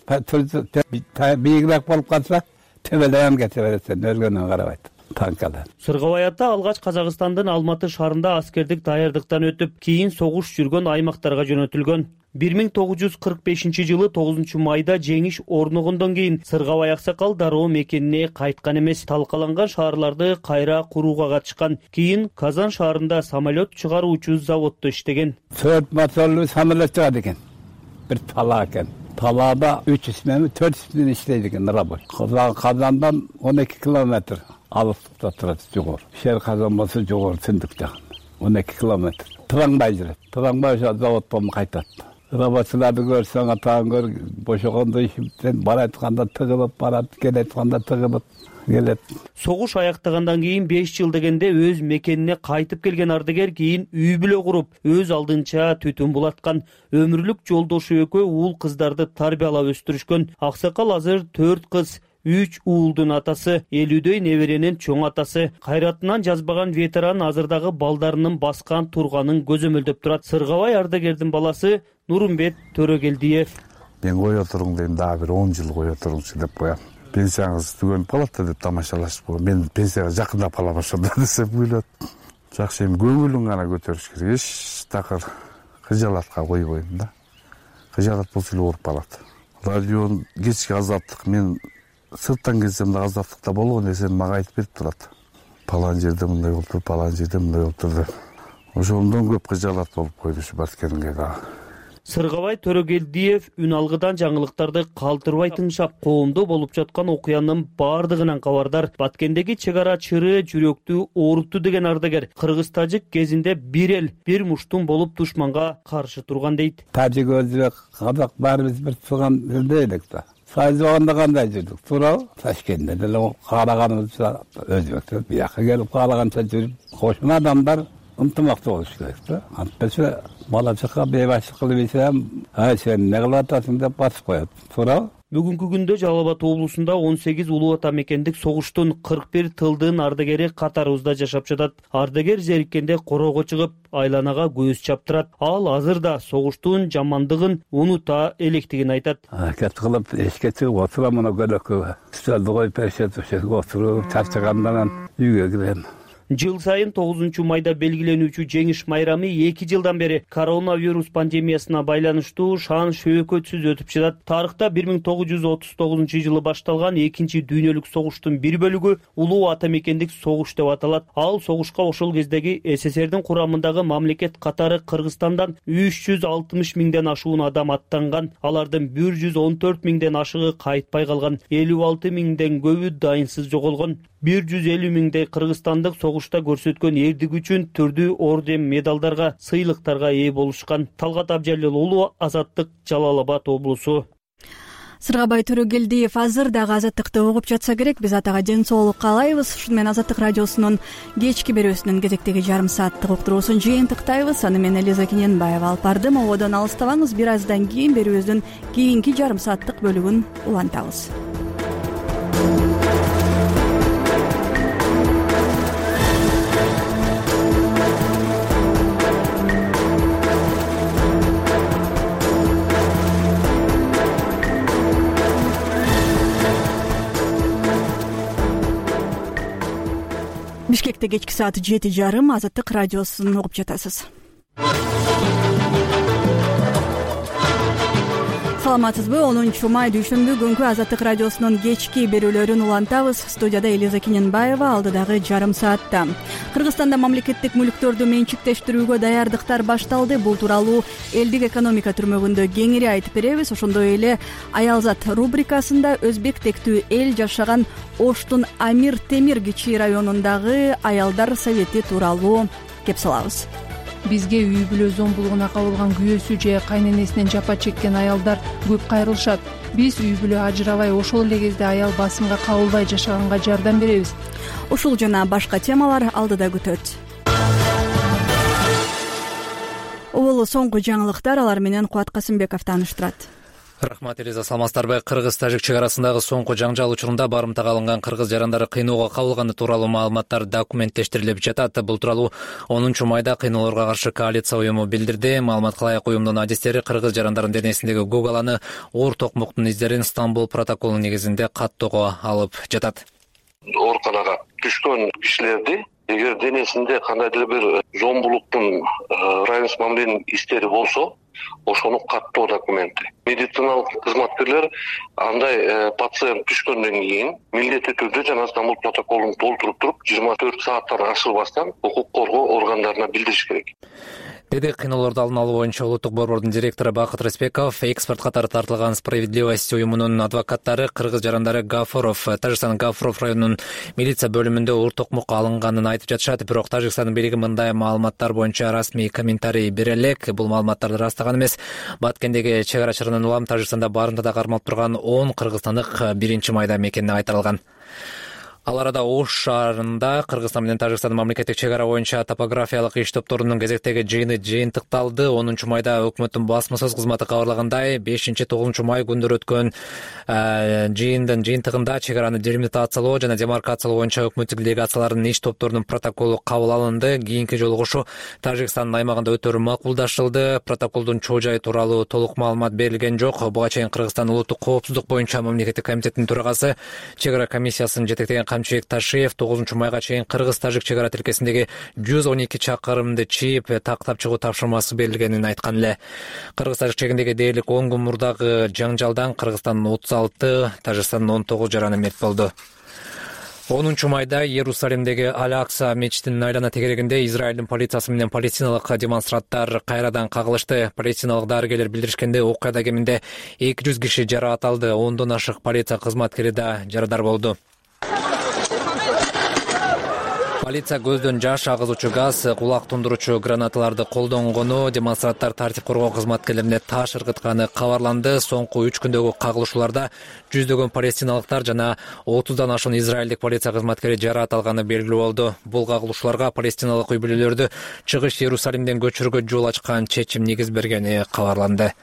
Бийигирээк болуп калса, төбөлөп кете берет, өлгөнүн карабайт. Танкалар. Сыргабай ата алгач Казакстандын Алматы шаарында аскердик даярдыктан өтүп, кийин согуш жүргөн аймактарга жөнөтүлгөн. 1945-жылы 9 майда жеңиш орногондон кийин Сыргабай аксакал дароо мекенине кайткан эмес. Талкаланган шаарларды кайра курууга катышкан. Кийин Казан шаарында самолет чыгаруучу заводдо иштеген. 4 моторлуу самолет чыгат экен. Бир талаа экен. Талаада 300 менен 400 менен иштейт экен рабочий. Казандан 12 километр алыстыкта турат жогору. Шер Казан болсо жогору Түндүк жагын. 12 километр. Тыраңбай жүрөт. Тыраңбай заводдон кайтат. Рабочиларды көрсөң, атаң көр, бошогондо ишиптен бара айтканда тыгылып барат, келе айтканда тыгылып келет. Согуш аяктагандан кийин 5 жыл дегенде өз мекенине кайтып келген ардагер кийин үй бүлө куруп, өз алдынча түтүн булаткан. Өмүрлүк жолдошу экөө уул кыздарды тарбиялап өстүрүшкөн. Аксакал азыр 4 кыз, 3 уулдун атасы, 50дөй неберенин чоң атасы. Кайратынан жазбаган ветеран азырдагы балдарынын баскан турганын көзөмөлдөп турат. Сыргабай ардагердин баласы Нурумбет Төрөгелдиев. Мен кое туруң дейм, дагы бир 10 жыл кое туруңчу деп коям. Пенсияңыз түгөнүп калат деп тамашалашып койгон. Мен пенсияга жакындап калам ошондо десем күлөт. Жакшы, эми көңүлүң гана көтөрүш керек. Эч такыр кыжалатка койбойм да. Кыжалат болсо эле ооруп калат. Радио кечки азаттык, мен сырттан келсем да азаттыкта болгон нерсени мага айтып берип турат. Палан жерде мындай болуптур, палан жерде мындай болуптур деп. Ошондон көп кыжалат болуп койду ушу барткенге дагы. Сыргабай Төрөгелдиев үн алгыдан жаңылыктарды калтырбай тыңшап, коомдо болуп жаткан окуянын бардыгынан кабардар. Баткендеги чек ара чыры жүрөктү оорутту деген ардагер кыргыз-тажик кезинде бир эл, бир муштун болуп душманга каршы турган дейт. Тажик, өзбек, казак баарыбыз бир турган элде элек да. Сайыз болгондо кандай жүрдүк, туурабы? Ташкентте деле каалаганыбызда өзбектер бияка келип каалаганча жүрүп, кошун адамдар ынтымактуу болуш керек да. Антпесе бала чакка бейбаштык кылып ийсем, сен эмне кылып атасың деп басып коет, туурабы? Бүгүнкү күндө Жалал Абад облусунда 18 улуу ата мекендик согуштун 41 тылдын ардагери катарыбызда жашап жатат. Ардагер зериккенде короого чыгып, айланага көз чаптырат. Ал азыр да согуштун жамандыгын унута электигин айтат. Кет кылып эшикке чыгып отурам, мына көлөккө столду коюп беришет, ошого отуруп чарчагандан үйгө кирем. Жыл сайын 9 майда белгиленүүчү жеңиш майрамы 2 жылдан бери коронавирус пандемиясына байланыштуу шан шөөкөтсүз өтүп жатат. Тарыхта 1939-жылы башталган 2 дүйнөлүк согуштун бир бөлүгү улуу ата мекендик согуш деп аталат. Ал согушка ошол кездеги СССРдин курамындагы мамлекет катары Кыргызстандан 360 миңден ашуун адам аттанган. Алардын 114 миңден ашыгы кайтпай калган, 56 миңден көбү дайынсыз жоголгон. 150 миңдей кыргызстандык согушта көрсөткөн эрдик үчүн түрдүү орден, медалдарга, сыйлыктарга ээ болушкан. Талгат Абджалил уулу, Азаттык, Жалал Абад облусу. Сыргабай Төрөгелдиев азыр дагы азаттыкты угуп жатса керек. Биз атага ден соолук каалайбыз. Ушуну менен Азаттык радиосунун кечки берүүсүнүн кезектеги жарым сааттык уктуруусун жыйынтыктайбыз. Аны мен Элиза Кененбаева алып бардым. Ободон алыстабаңыз. Бир аздан кийин берүүбүздүн кийинки жарым сааттык бөлүгүн улантабыз. Бишкекте кечки саат 7:30 Азаттык радиосун угуп жатасыз. Саламатсызбы? 10 май дүйшөмбү күнкү Азаттык радиосунун кечки берүүлөрүн улантабыз. Студияда Элиза Киненбаева, алдыдагы жарым саатта. Кыргызстанда мамлекеттик мүлктөрдү менчиктештирүүгө даярдыктар башталды. Бул тууралуу элдик экономика түрмөгүндө кеңири айтып беребиз. Ошондой эле Аялзат рубрикасында өзбек тектүү эл жашаган Оштун Амир Темир кичи районундагы аялдар совети тууралуу кеп салабыз. Бизге үй бүлө зомбулугуна кабылган күйөөсү же кайненесинен жапа чеккен аялдар көп кайрылышат. Биз үй бүлө ажырабай, ошол эле кезде аял басымга кабылбай жашаганга жардам беребиз. Ушул жана башка темалар алдыда күтөт. Бул соңку жаңылыктар, алар менен Кубат Касымбеков тааныштырат. Рахмат, Элиза, саламатсыздарбы? Кыргыз-тажик чек арасындагы соңку жаңжал учурунда барымтага алынган кыргыз жарандары кыйноого кабылганы тууралуу маалыматтар документтештирилип жатат. Бул тууралуу 10 майда кыйноолорго каршы коалиция уюму билдирди. Маалыматка ылайык уюмдун адистери кыргыз жарандарын денесиндеги гугаланы оор токмоктун издерин Стамбул протоколунун негизинде каттоого алып жатат. Ооруканага түшкөн кишилерди эгер денесинде кандайдыр бир зомбулуктун равенство мамленин издери болсо, ошону каттоо документи. Медициналык кызматкерлер андай пациент түшкөндөн кийин милдеттүү түрдө жана Стамбул протоколун толтуруп туруп 24 сааттан ашырбастан укук коргоо органдарына билдириш керек. Деди кыйноолорду алдын алуу боюнча улуттук борбордун директору Бакыт Респеков. Экспорт катары тартылган Справедливость уюмунун адвокаттары кыргыз жарандары Гафуров, Тажикстандын Гафуров районунун милиция бөлүмүндө оор токмокко алынганын айтып жатышат. Бирок Тажикстандын бийлиги мындай маалыматтар боюнча расмий комментарий бере элек. Бул маалыматтарды растаган эмес. Баткендеги чек ара чыгынан улам Тажикстанда барымтада кармалып турган 10 кыргызстандык 1 майда мекенине кайтарылган. Ал арада Ош шаарында Кыргызстан менен Тажикстандын мамлекеттик чек ара боюнча топографиялык иш топторунун кезектеги жыйыны жыйынтыкталды. 10 майда өкмөттүн басмасөз кызматы кабарлагандай, 5-9 май күндөрү өткөн жыйындын жыйынтыгында чек араны делимитациялоо жана демаркациялоо боюнча өкмөттүк делегациялардын иш топторунун протоколу кабыл алынды. Кийинки жолугушуу Тажикстандын аймагында өтөрү макулдашылды. Протоколдун чоо жайы тууралуу толук маалымат берилген жок. Буга чейин Кыргызстан улуттук коопсуздук боюнча мамлекеттик комитетинин төрагасы, чек ара комиссиясын жетектеген Камчыбек Ташиев 9 майга чейин Кыргыз-Тажик чек ара тилкесиндеги 112 чакырымды чийип, тактап чыгуу тапшырмасы берилгенин айткан эле. Кыргыз-Тажик чегиндеги дээрлик 10 күн мурдагы жаңжалдан Кыргызстандын 36, Тажикстандын 19 жараны мерт болду. 10 майда Иерусалимдеги Аль-Акса мечитинин айлана тегерегинде Израилдин полициясы менен палестиналык демонстранттар кайрадан кагылышты. Палестиналык дарыгерлер билдиришкенде, окуяда кеминде 200 киши жараат алды. 10дон ашык полиция кызматкери да жарадар болду. Полиция көздөн жаш агызуучу газ, кулак тундуруучу гранаталарды колдонгону, демонстранттар тартип коргоо кызматкерлерине таш ыргытканы кабарланды. Соңку 3 күндөгү кагылышууларда жүздөгөн палестиналыктар жана 30дан ашуун израилдик полиция кызматкери жараат алганы белгилүү болду. Бул кагылышууларга палестиналык үй бүлөлөрдү чыгыш Иерусалимден көчүрүүгө жол ачкан чечим негиз бергени кабарланды.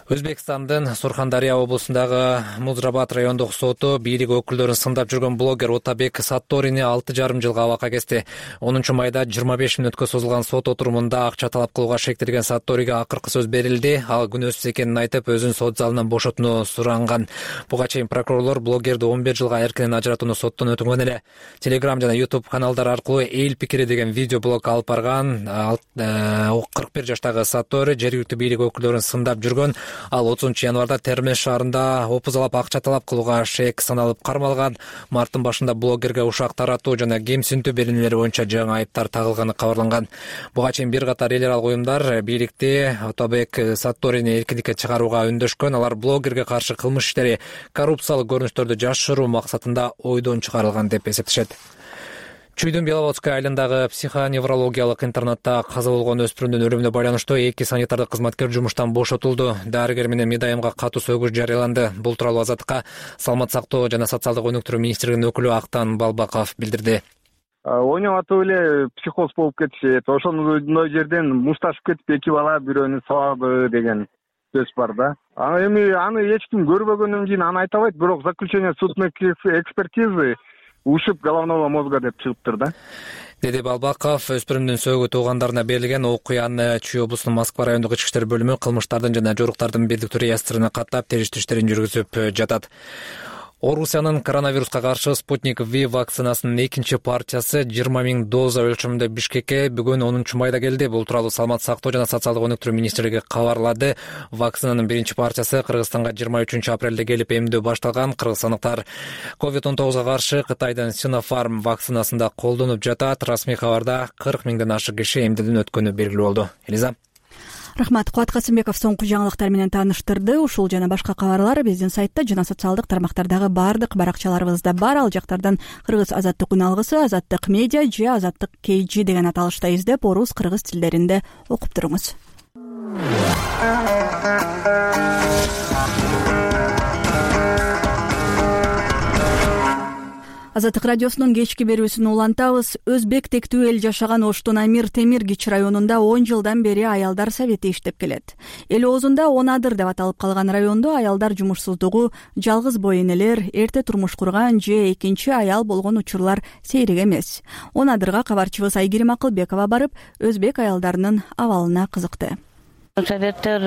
Өзбекстандын Сурхандария облусундагы Музрабад райондук соту бийлик өкүлдөрүн сындап жүргөн блогер Отабек Сатторини 6,5 жылга абакка кести. 10 майда 25 мүнөткө созулган сот отурумунда акча талап кылууга шектелген Сатториге акыркы сөз берилди. Ал күнөөсүз экенин айтып, өзүн сот залынан бошотууну суранган. Буга чейин прокурорлор блогерди 11 жылга эркинен ажыратууну соттон өтүнгөн эле. Telegram жана YouTube каналдар аркылуу эл пикири деген видео блог алып барган 41 жаштагы Саттори жергиликтүү бийлик өкүлдөрүн сындап жүргөн. Ал 30 январда Термеш шаарында опузалап акча талап кылууга шек саналып кармалган. Марттын башында блогерге ушак таратуу жана кемсинтүү беренелери боюнча жаңы айыптар тагылганы кабарланган. Буга чейин бир катар эл аралык уюмдар бийликти Отабек Сатторини эркиндикке чыгарууга үндөшкөн. Алар блогерге каршы кылмыш иштери коррупциялык көрүнүштөрдү жашыруу максатында ойдон чыгарылган деп эсептешет. Чүйдүн Беловодская айылындагы психоневрологиялык интернатта каза болгон өспүрүмдүн өлүмүнө байланыштуу 2 санитардык кызматкер жумуштан бошотулду. Дарыгер менен медайымга катуу сөгүш жарыяланды. Бул тууралуу Азаттыкка Саламат сактоо жана социалдык өнүктүрүү министрлигинин өкүлү Актан Балбаков билдирди. Ойноп эле психоз болуп кетишет. Ошондой жерден мушташып кетип эки бала бирөөнү сабады деген сөз бар да. Эми аны эч ким көрбөгөндөн кийин аны айта албайт, бирок заключение судебной экспертизы ушиб головного мозга деп чыгыптыр да. Деди Балбаков. Өспүрүмдүн сөөгү туугандарына берилген окуяны Чүй облусунун Москва райондук ички иштер бөлүмү кылмыштардын жана жоруктардын бирдиктүү реестрине каттап териштирүү иштерин жүргүзүп жатат. Орусиянын коронавируска каршы Спутник V вакцинасынын экинчи партиясы 20 000 доза өлчөмүндө Бишкекке бүгүн 10 майда келди. Бул тууралуу Саламаттык сактоо жана социалдык өнүктүрүү министрлиги кабарлады. Вакцинанын биринчи партиясы Кыргызстанга 23 апрелде келип эмдөө башталган. Кыргызстандыктар COVID-19 каршы Кытайдын Sinopharm вакцинасын да колдонуп жатат. Расмий кабарда 40 000ден ашык киши эмдүүдөн өткөнү белгилүү болду. Элиза. Рахмат. Кубат Касымбеков соңку жаңылыктар менен тааныштырды. Ушул жана башка кабарлар биздин сайтта жана социалдык тармактардагы бардык баракчаларыбызда бар. Ал жактардан Кыргыз Азаттык үн алгысы, Азаттык медиа же Азаттык KG деген аталышта издеп, орус, кыргыз тилдеринде окуп туруңуз. Азаттык радиосунун кечки берүүсүн улантабыз. Өзбек тектүү эл жашаган Оштун Амир Темир Кич районунда 10 жылдан бери аялдар совети иштеп келет. Эл оозунда Онадыр деп аталып калган райондо аялдар жумушсуздугу, жалгыз бой энелер, эрте турмуш курган же экинчи аял болгон учурлар сейрек эмес. Онадырга кабарчыбыз Айгерим Акылбекова барып, өзбек аялдарынын абалына кызыкты. Советтер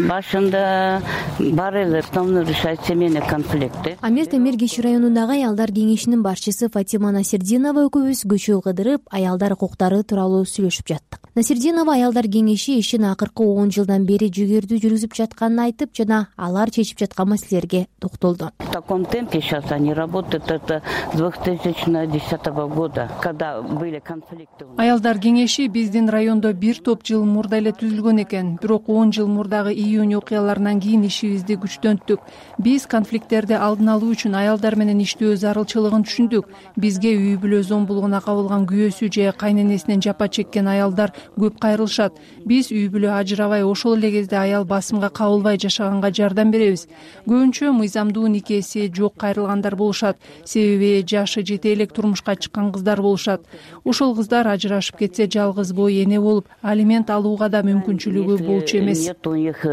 башында бар эле основной решать семейный конфликты. Амир Темир Кич районундагы аялдар кеңешинин башчысы Фатима Насирдинова экөөбүз көчө кыдырып, аялдар укуктары тууралуу сүйлөшүп жаттык. Насирдинова аялдар кеңеши ишин акыркы 10 жылдан бери жүгөрдүү жүргүзүп жатканын айтып, жана алар чечип жаткан маселелерге токтолду. В таком темпе сейчас они работают, это с 2010 года, когда были конфликты. Аялдар кеңеши биздин райондо бир топ жыл мурда эле түзүлгөн экен. Бирок 10 жыл мурдагы июнь окуяларынан кийин ишибизди күчтөнттүк. Биз конфликттерди алдын алуу үчүн аялдар менен иштөө зарылчылыгын түшүндүк. Бизге үй бүлө зомбулугуна кабылган күйөөсү же кайненесинен жапа чеккен аялдар көп кайрылышат. Биз үй бүлө ажырабай, ошол эле кезде аял басымга кабылбай жашаганга жардам беребиз. Көбүнчө мыйзамдуу никеси жок кайрылгандар болушат. Себеби жашы жете элек турмушка чыккан кыздар болушат. Ошол кыздар ажырашып кетсе жалгыз бой эне болуп, алимент алууга да мүмкүнчүлүгү болчу эмес. Нет у них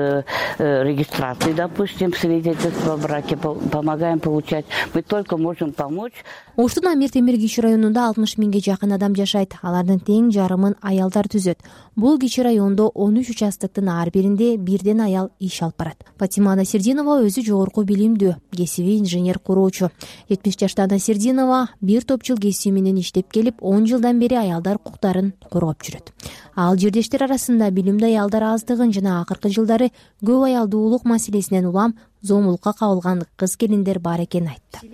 регистрации, допустим, свидетельства о браке, помогаем получать. Мы только можем помочь. Оштун Амир Темир Кич районунда 60 000ге жакын адам жашайт. Алардын тең жарымын аялдар түзөт. Бул Кич райондо 13 участоктун ар биринде бирден аял иш алып барат. Фатима Насирдинова өзү жогорку билимдүү, кесиби инженер куроочу. 70 жаштагы Насирдинова бир топ жыл кесиби менен иштеп келип, 10 жылдан бери аялдар укуктарын коргоп жүрөт. Ал жердештер арасында билимдүү аялдар аздыгын жана акыркы жылдары көп аялдуулук маселесинен улам зомбулукка кабылган кыз келиндер бар экенин айтты.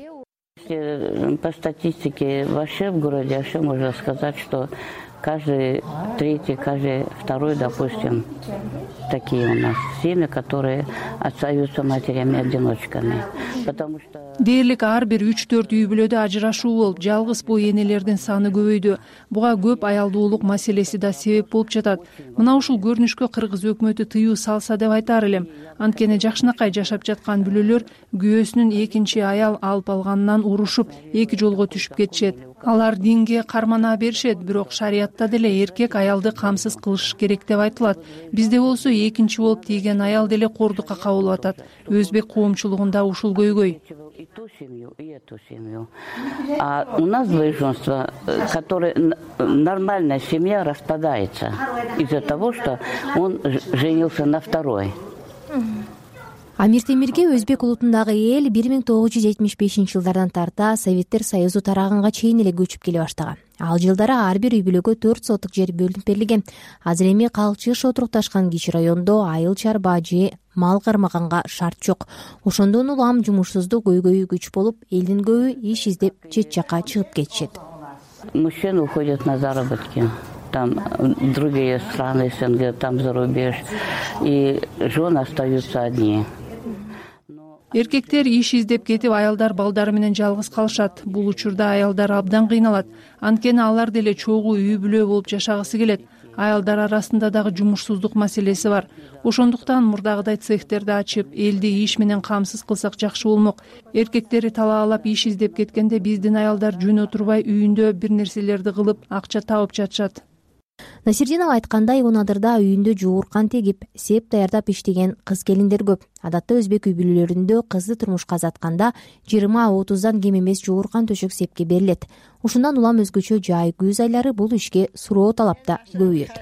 По статистике вообще в городе вообще можно сказать, что каждый третий, каждый второй, допустим, такие у нас семьи, которые остаются матерями-одиночками. Потому что дээрлик ар бир 3-4 үй бүлөдө ажырашуу болуп, жалгыз бой энелердин саны көбөйдү. Буга көп аялдуулук маселеси да себеп болуп жатат. Мына ушул көрүнүшкө кыргыз өкмөтү тыюу салса деп айтар элем. Анткени жакшынакай жашап жаткан бүлөлөр күйөөсүнүн экинчи аял алып алганынан урушуп, эки жолго түшүп кетишет. Алар динге кармана беришет, бирок шариятта деле эркек аялды камсыз кылыш керек деп айтылат. Бизде болсо экинчи болуп тийген аял деле кордукка кабылып атат. Өзбек коомчулугунда ушул көйгөй. И ту семью, и эту семью. А у нас двоеженство, которое нормальная семья распадается из-за того, что он женился на второй. Амир Темирге өзбек улутундагы эл 1975 жылдардан тарта Советтер Союзу тараганга чейин эле көчүп келе баштаган. Ал жылдары ар бир үй бүлөгө 4 сотук жер бөлүнүп берилген. Азыр эми калчыш отурукташкан Кич райондо айыл чарба же мал кармаганга шарт жок. Ошондон улам жумушсуздук көйгөйү күч болуп, элдин көбү иш издеп чет жакка чыгып кетишет. Мужчины уходят на заработки. Там другие страны СНГ, там за рубеж. И жены остаются одни. Эркектер иш издеп кетип, аялдар балдары менен жалгыз калышат. Бул учурда аялдар абдан кыйналат. Анткени алар деле чогуу үй бүлө болуп жашагысы келет. Аялдар арасында дагы жумушсуздук маселеси бар. Ошондуктан мурдагыдай цехтерди ачып, элди иш менен камсыз кылсак жакшы болмок. Эркектери талаалап иш издеп кеткенде биздин аялдар жөн отурбай үйүндө бир нерселерди кылып, акча табып жатышат. Насирдинова айткандай, Онадырда үйүндө жууркан тегип, сеп даярдап иштеген кыз келиндер көп. Адатта өзбек үй бүлөлөрүндө кызды турмушка азатканда 20-30дан кем эмес жууркан төшөк сепке берилет. Ушундан улам өзгөчө жай күз айлары бул ишке суроо талапта көбөйөт.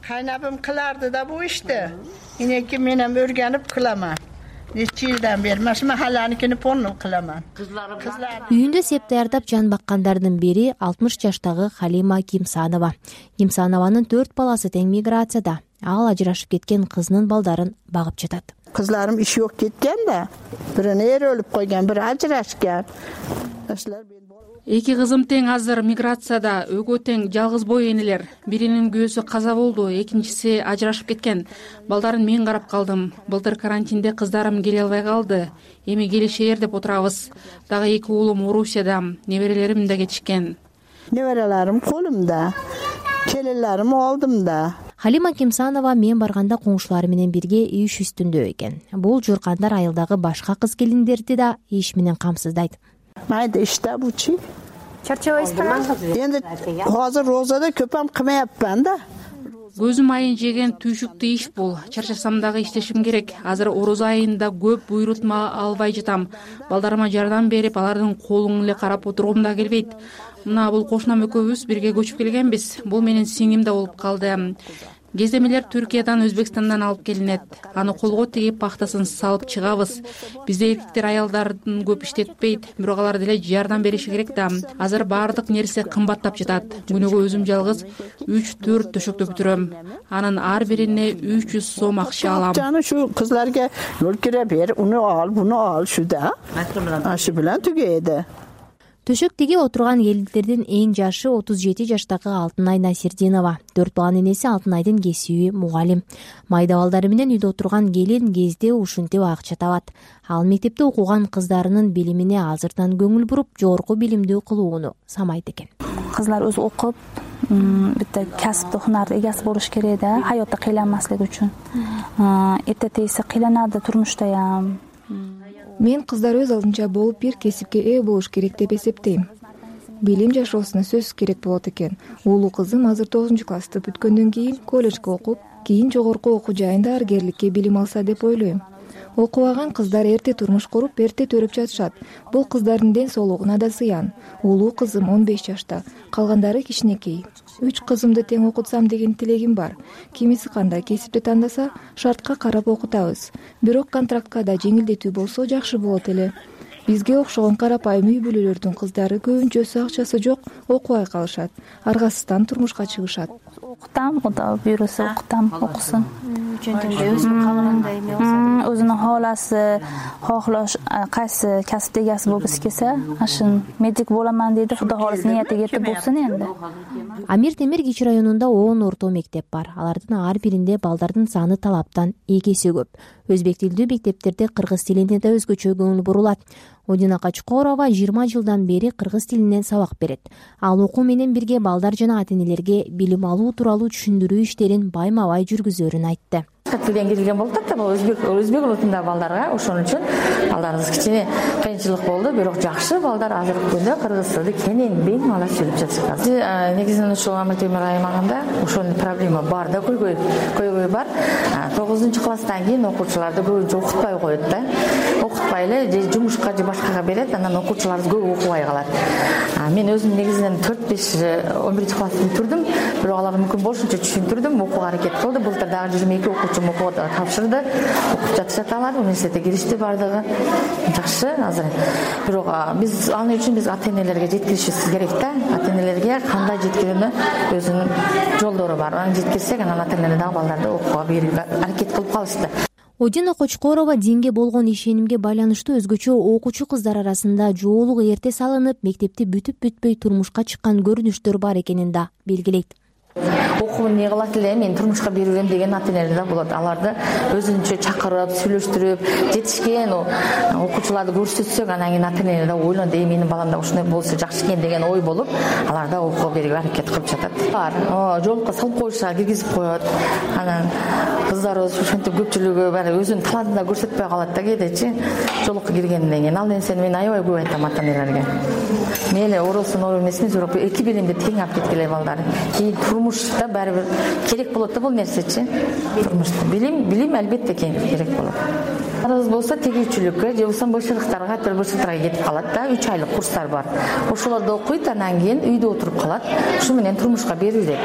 Кайнабым кыларды да бу ишти. Энеки менен өргөнүп кылама. нече жылдан бери mana shu mahallanikini полный кыламан. Үйүндө сеп даярдап жан баккандардын бири 60 жаштагы Халима Кимсанова. Кимсанованын 4 баласы тең миграцияда. Ал ажырашып кеткен кызынын балдарын багып жатат. Kızlarım işi yok ketken de. Birini er ölüp koygan, biri ajrashgan. Эки кызым тең азыр миграцияда, өгөө тең жалгыз бой энелер. Биринин күйөөсү каза болду, экинчиси ажырашып кеткен. Балдарын мен карап калдым. Былтыр карантинде кыздарым келе албай калды. Эми келишер деп отурабыз. Дагы эки уулум Орусияда, неберелерим да кетишкен. Неберелерим колумда. Келелерим алдымда. Халима Кимсанова мен барганда коңшулары менен бирге иш үстүндө экен. Бул журкандар айылдагы башка кыз келиндерди да иш менен камсыздайт. Майда иште бучи. Чарчабайсызбы? Энди азыр розада көпөм кымаяпман да. Көзүм айын жеген түйшүктүү иш бул. Чарчасам дагы иштешим керек. Азыр орозо айында көп буйрутма албай жатам. Балдарыма жардам берип, алардын колун эле карап отургум да келбейт. Мына бул кошунам экөөбүз бирге көчүп келгенбиз. Бул менин сиңим да болуп калды. Кездемелер Түркиядан, Өзбекстандан алып келинет. Аны колго тигип пахтасын салып чыгабыз. Бизде эркектер аялдардын көп иштетпейт, бирок алар деле жардам бериши керек да. Азыр баардык нерсе кымбаттап жатат. Күнүгө өзүм жалгыз 3-4 төшөктө бүтүрөм. Анын ар бирине 300 сом акча алам. Жана şu kızlarga өлкүрө бер, уну ал, буну ал шуда. Ашы менен түгөйдү. Төшөктөгү отурган келиндердин эң жашы 37 жаштагы Алтынай Насирдинова. 4 баланын энеси Алтынайдын кесиби мугалим. Майда балдары менен үйдө отурган келин кезде ушинтип акча табат. Ал мектепте окуган кыздарынын билимине азырдан көңүл буруп, жогорку билимдүү кылууну самайт экен. Кызлар өзү окуп, битте касыпты, хунарды эгеси болуш керек да, хаётта кыйланмаслык үчүн. Эрте тейсе кыйланады турмуштаям. Мен кыздар өз алдынча болуп бир кесипке ээ болуш керек деп эсептейм. Билим жашоосуна сөзсүз керек болот экен. Уулу кызым азыр 9-классты бүткөндөн кийин колледжге окуп, кийин жогорку окуу жайында аргерликке билим алса деп ойлойм. Окубаган кыздар эрте турмуш куруп, эрте төрөп жатышат. Бул кыздардын ден соолугуна да зыян. Уулуу кызым 15 жашта, калгандары кичинекей. 3 кызымды тең окутсам деген тилегим бар. Кимиси кандай кесипти тандаса, шартка карап окутабыз. Бирок контрактка да жеңилдетүү болсо жакшы болот эле. Бизге окшогон карапайым үй бүлөлөрдүн кыздары көбүнчөсү акчасы жок, окубай калышат. Аргасыздан турмушка чыгышат. Окутам, ода бюросу окутам, окусун. Өзүнүн каалагандай эме болсо, өзүнүн хааласы, хоолош, кайсы касып эгеси болгусу келсе, ашын медик боламан дейди, Кудай кааласа ниети кетип болсун энди. Амир Темир кичи районунда 10 орто мектеп бар. Алардын ар биринде балдардын саны талаптан эки көп. Өзбек тилдүү мектептерде кыргыз тилине да өзгөчө көңүл бурулат. Одина Качкорова 20 жылдан бери кыргыз тилинен сабак берет. Ал окуу менен бирге балдар жана ата-энелерге билим алуу тууралуу түшүндүрүү иштерин байма-бай жүргүзөрүн айтты. Тилден келген болуп атат, өзбек улутундагы балдарга ошон үчүн балдарыбыз кичине кыйынчылык болду, бирок жакшы балдар азыркы күндө кыргыз тилди кенен бең ала сүйлөп жатышат. Негизинен ушул Амир Темир аймагында ошол проблема бар да, көйгөй бар. 9-класстан кийин окуучуларды көбүнчө окутпай коет да. Окутпай эле же жумушка же башкага берет, анан окуучуларыбыз көп окубай калат. Мен өзүм негизинен 4-5-11-класты бүтүрдүм, бирок аларга мүмкүн болушунча түшүндүрдүм, окууга аракет кылды. Былтыр дагы 22 окуучу окууга тапшырды, окуп жатышат алар, университетке киришти бардыгы. Жакшы азыр. Бирок биз ал үчүн биз ата-энелерге жеткиришибиз керек да. Ата-энелерге кандай жеткирүүнү өзүнүн жолдору бар. Аны жеткирсек, анан ата-энелер дагы балдарды окууга берүүгө аракет кылып калышты. Одина Кочкорова динге болгон ишенимге байланыштуу өзгөчө окуучу кыздар арасында жоолук эрте салынып, мектепти бүтүп-бүтпөй турмушка чыккан көрүнүштөр бар экенин да белгилейт. Окууну эмне кылат эле, мен турмушка берем деген ата-энелер да болот. Аларды өзүнчө чакырып, сүйлөштүрүп, жетишкен окуучуларды көрсөтсөк, анан кийин ата-энелер да ойлонот, менин балам да ушундай болсо жакшы экен деген ой болуп, алар да окууга берүүгө аракет кылып жатат. Жолукка салып коюшса, киргизип коет. Анан кыздарыбыз ушинтип көпчүлүгү баары өзүнүн талантын да көрсөтпөй калат да кээдечи. Жолукка киргенден кийин ал нерсени мен аябай көп айтам ата-энелерге. Мейли оросун оор эмесмиз, бирок эки билимди тең алып кеткиле балдар. Турмушта баары бир керек болот да бул нерсечи. Турмушта билим албетте керек болот. Арыз болсо тегүүчүлүккө же болбосо бышырыктарга, бышырыктарга кетип калат да, 3 айлык курстар бар. Ошолорду окуйт, анан кийин үйдө отуруп калат. Ушу менен турмушка берилет.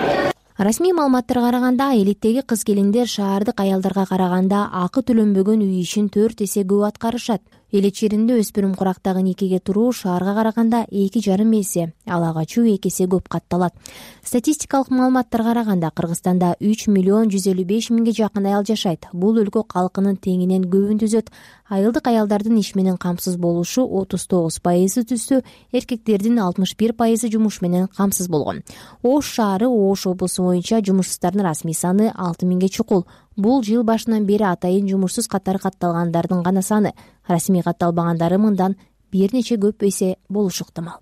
Расмий маалыматтарга караганда элиттеги кыз-келиндер шаардык аялдарга караганда акы төлөнбөгөн үй ишин 4 эсе көп аткарышат. Элет жеринде өспүрүм курактагы никеге туруу шаарга караганда 2,5 эсе, ал ага качуу 2 эсе көп катталат. Статистикалык маалыматтарга караганда Кыргызстанда 3,155,000 жакын аял жашайт. Бул өлкө калкынын теңинен көбүн түзөт. Айылдык аялдардын иш менен камсыз болушу 39% түзсө, эркектердин 61% жумуш менен камсыз болгон. Ош шаары Ош облусу боюнча жумушсуздардын расмий саны 6,000 чукул. Бул жыл башынан бери атайын жумушсуз катары катталгандардын гана саны. Расмий катталбагандары мындан бир нече көп эсе болушу ыктымал.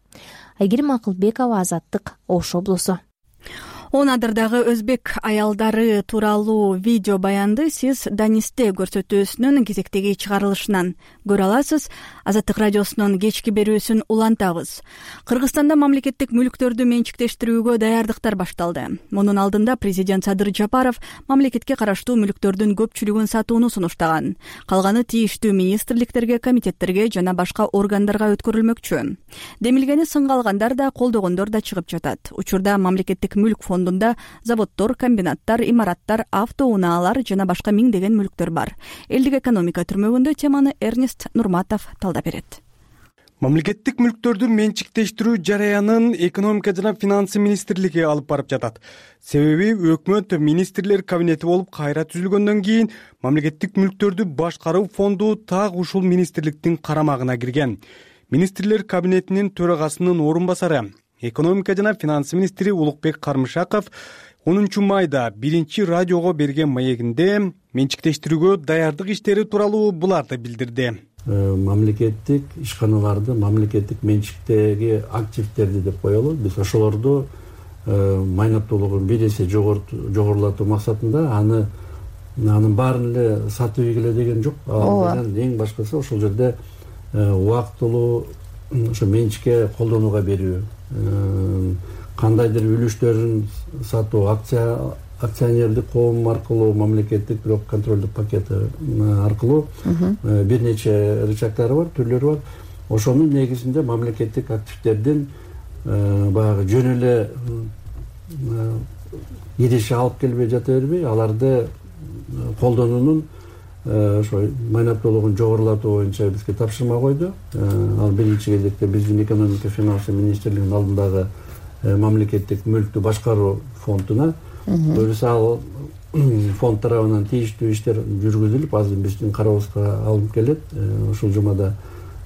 Айгерим Акылбекова, Азаттык, Ош облусу. 10 адырдагы өзбек аялдары тууралуу видео баянды сиз Данисте көрсөтүүсүнүн кезектеги чыгарылышынан көрө аласыз. Азаттык радиосунун кечки берүүсүн улантабыз. Кыргызстанда мамлекеттик мүлктөрдү менчиктештирүүгө даярдыктар башталды. Мунун алдында президент Садыр Жапаров мамлекетке караштуу мүлктөрдүн көпчүлүгүн сатууну сунуштаган. Калганы тийиштүү министрликтерге, комитеттерге жана башка органдарга өткөрүлмөкчү. Демилгени сынга алгандар да, колдогондор да чыгып жатат. Учурда мамлекеттик мүлк фондунда заводдор, комбинаттар, имараттар, автоунаалар жана башка миңдеген мүлктөр бар. Элдик экономика түрмөгүндө теманы Эрнест Нурматов талдап берет. Мамлекеттик мүлктөрдү менчиктештирүү жараянын экономика жана финансы министрлиги алып барып жатат. Себеби өкмөт министрлер кабинети болуп кайра түзүлгөндөн кийин мамлекеттик мүлктөрдү башкаруу фонду так ушул министрликтин карамагына кирген. Министрлер кабинетинин төрагасынын орун басары, экономика жана финансы министри Улукбек Кармышаков 10 майда 1 радиого берген маегинде менчиктештирүүгө даярдык иштери тууралуу буларды билдирди. Мамлекеттик ишканаларды, мамлекеттик менчиктеги активдерди деп коелу. Биз ошолорду майнаттуулугун 1 эсе жогорулатуу максатында анын баарын эле сатып ийгиле деген жок. Эң башкысы ошол жерде убактылуу ошо менчикке колдонууга берүү, кандайдыр үлүштөрүн сатуу, акционердик коом аркылуу, мамлекеттик бирок контролдук пакет аркылуу бир нече рычагдары бар, түрлөрү бар. Ошонун негизинде мамлекеттик активдердин баягы жөн эле идиши алып келбей жата бербей, аларды колдонуунун ошо майнаттуулугун жогорулатуу боюнча бизге тапшырма койду. Ал биринчи кезекте биздин экономика финансы министрлигинин алдындагы мамлекеттик мүлктү башкаруу фондуна. Өзү ал фонд тарабынан тийиштүү иштер жүргүзүлүп, азыр биздин карообузга алынып келет. Ушул жумада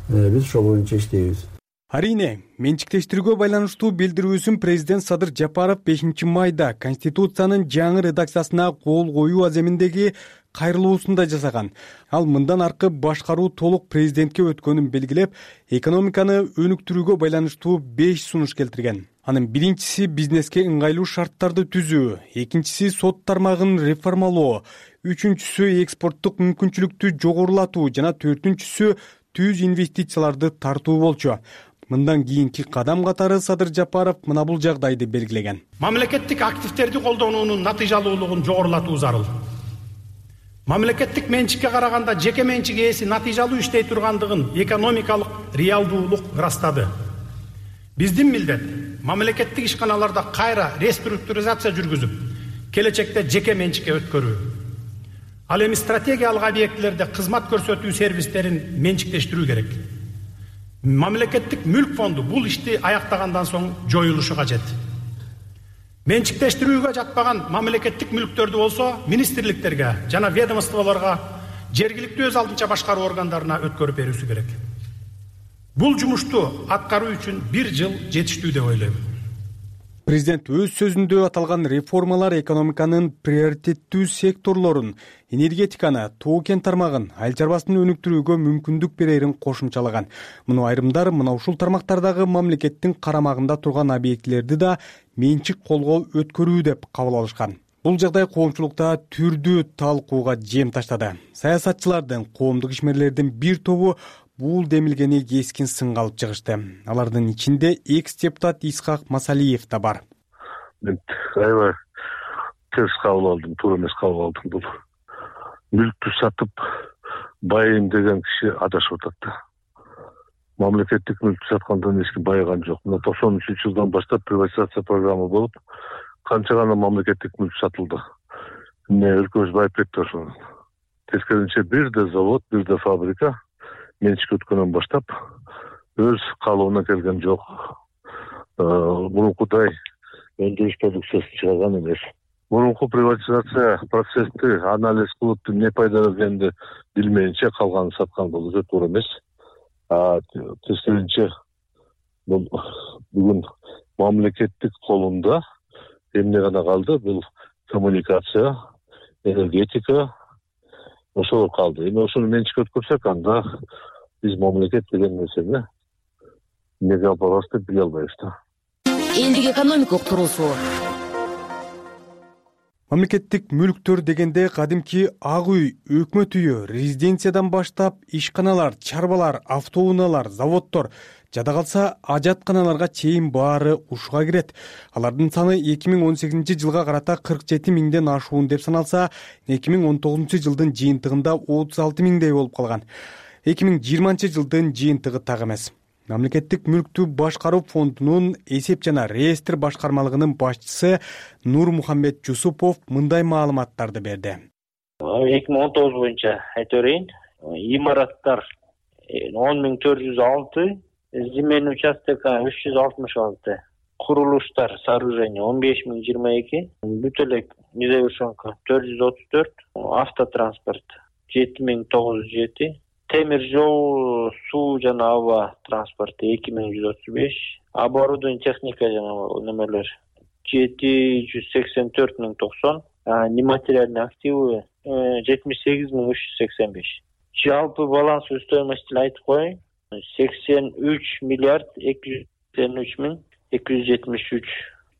биз ошол боюнча иштейбиз. Арине, менчиктештирүүгө байланыштуу билдирүүсүн президент Садыр Жапаров 5 майда Конституциянын жаңы редакциясына кол коюу аземиндеги кайрылуусунда жасаган. Ал мындан аркы башкаруу толук президентке өткөнүн белгилеп, экономиканы өнүктүрүүгө байланыштуу 5 сунуш келтирген. Анын биринчиси бизнеске ыңгайлуу шарттарды түзүү, экинчиси сот тармагын реформалоо, үчүнчүсү экспорттук мүмкүнчүлүктү жогорулатуу жана төртүнчүсү түз инвестицияларды тартуу болчу. Мындан кийинки кадам катары Садыр Жапаров мына бул жагдайды белгилеген. Мамлекеттик активдерди колдонуунун натыйжалуулугун жогорулатуу зарыл. Мамлекеттик менчикке караганда жеке менчик ээси натыйжалуу иштей тургандыгын экономикалык реалдуулук ырастады. Биздин милдет мамлекеттик ишканаларда кайра реструктуризация жүргүзүп, келечекте жеке менчикке өткөрүү. Ал эми стратегиялык объектилерде кызмат көрсөтүү сервистерин менчиктештирүү керек. Мамлекеттик мүлк фонду бул ишти аяктагандан соң жоюлушу кажет. Менчиктештирүүгө жатпаган мамлекеттик мүлктөрдү болсо министрликтерге жана ведомстволорго жергиликтүү өз алдынча башкаруу органдарына өткөрүп берүүсү керек. Бул жумушту аткаруу үчүн 1 жыл жетиштүү деп ойлойм. Президент өз сөзүндө аталган реформалар экономиканын приоритеттүү секторлорун, энергетиканы, тоо-кен тармагын, айыл чарбасын өнүктүрүүгө мүмкүндүк берерин кошумчалаган. Муну айрымдар мына ушул тармактардагы мамлекеттин карамагында турган объектилерди да менчик колго өткөрүү деп кабыл алышкан. Бул жагдай коомчулукта түрдүү талкууга жем таштады. Саясатчылардын, коомдук ишмерлердин бир тобу бул демилгени кескин сынга алып чыгышты. Алардын ичинде экс-депутат Исхак Масалиев да бар. Мен аябай терс кабыл алдым, туура эмес кабыл алдым. Бул мүлктү сатып байыйм деген киши адашып атат да. Мамлекеттик мүлктү саткандан эч ким байыган жок. Мына 93-жылдан баштап приватизация программа болуп, канча гана мамлекеттик мүлк сатылды. Эмне өлкөбүз байып кетти ошондон. Тескерисинче бир да завод, бир да фабрика менчик өткөндөн баштап өз каалооуна келген жок. Мурункудай өндүрүш продукциясын чыгарган эмес. Мурунку приватизация процесси анализ кылып эмне пайда бергенди билмейинче калганын саткан бул өтө туура эмес. Тескерисинче бүгүн мамлекеттик колунда эмне гана калды? Бул коммуникация, энергетика ошолор калды. Эми ошону менчикке өткөрсөк, анда биз мамлекет деген нерсени эмнеге алып барабыз деп биле албайбыз да. Элдик экономикалык туруусу. Мамлекеттик мүлктөр дегенде кадимки ак үй, өкмөт үйү, резиденциядан баштап ишканалар, чарбалар, автоунаалар, заводдор, жада калса ажатканаларга чейин баары ушуга кирет. Алардын саны 2018 жылга карата 47 миңден ашуун деп саналса, 2019 жылдын жыйынтыгында 36 миңдей болуп калган. 2020 жылдын жыйынтыгы так эмес. Мамлекеттик мүлктү башкаруу фондунун эсеп жана реестр башкармалыгынын башчысы Нурмухаммед Жусупов мындай маалыматтарды берди. 2019 боюнча айта берейин. Имараттар 10.406, земельный участок 366, курулуштар, сооружение 15.022, бүт эле незавершенка 434, автотранспорт 7.907, темир жол, суу жана аба транспорты 2.135, оборудование, техника жана немелер 784.090, нематериальный активы 78.385. Жалпы балансовый стоимостьни айтып коеюн. 83 миллиард 283 273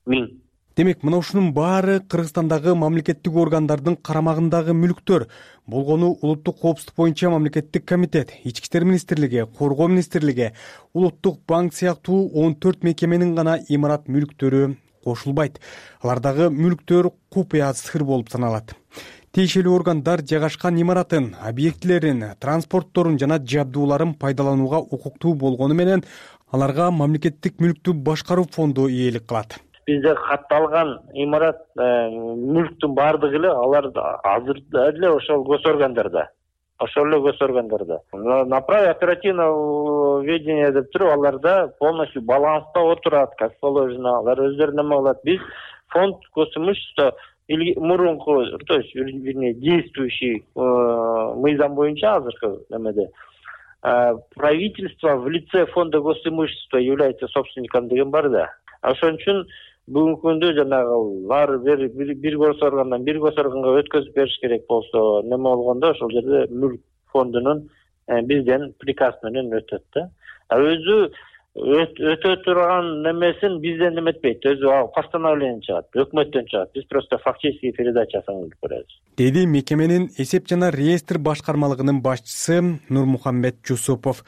миң. Демек, мына ушунун баары Кыргызстандагы мамлекеттик органдардын карамагындагы мүлктөр. Болгону улуттук коопсуздук боюнча мамлекеттик комитет, Ички иштер министрлиги, Коргоо министрлиги, Улуттук банк сыяктуу 14 мекеменин гана имарат мүлктөрү кошулбайт. Алардагы мүлктөр купуя сыр болуп саналат. Тиешелүү органдар жайгашкан имаратын, объектилерин, транспортторун жана жабдууларын пайдаланууга укуктуу болгону менен аларга мамлекеттик мүлктү башкаруу фонду ээлик кылат. Бизде катталган имарат мүлктүн баардыгы эле алар азырда эле ошол госоргандарда. На праве оперативного ведения деп туруп аларда полностью баланста отурат, как положено. Алар өздөрү неме кылат. Биз фонд госимущества или мурунку, то есть, вернее, действующий мыйзам боюнча азыркы немеде правительство в лице фонда госимущества является собственником деген бар да. Ошон үчүн бүгүнкү күндө жанагы баары бир госоргандан бир госорганга өткөзүп бериш керек болсо, неме болгондо ошол жерде мүлк фондунун бизден приказ менен өтөт да. Өзү өтө турган немесин бизден неметпейт. Өзү постановление чыгат, өкмөттөн чыгат. Биз просто фактический передачасын кылып беребиз. Деди мекеменин эсеп жана реестр башкармалыгынын башчысы Нурмухаммед Жусупов.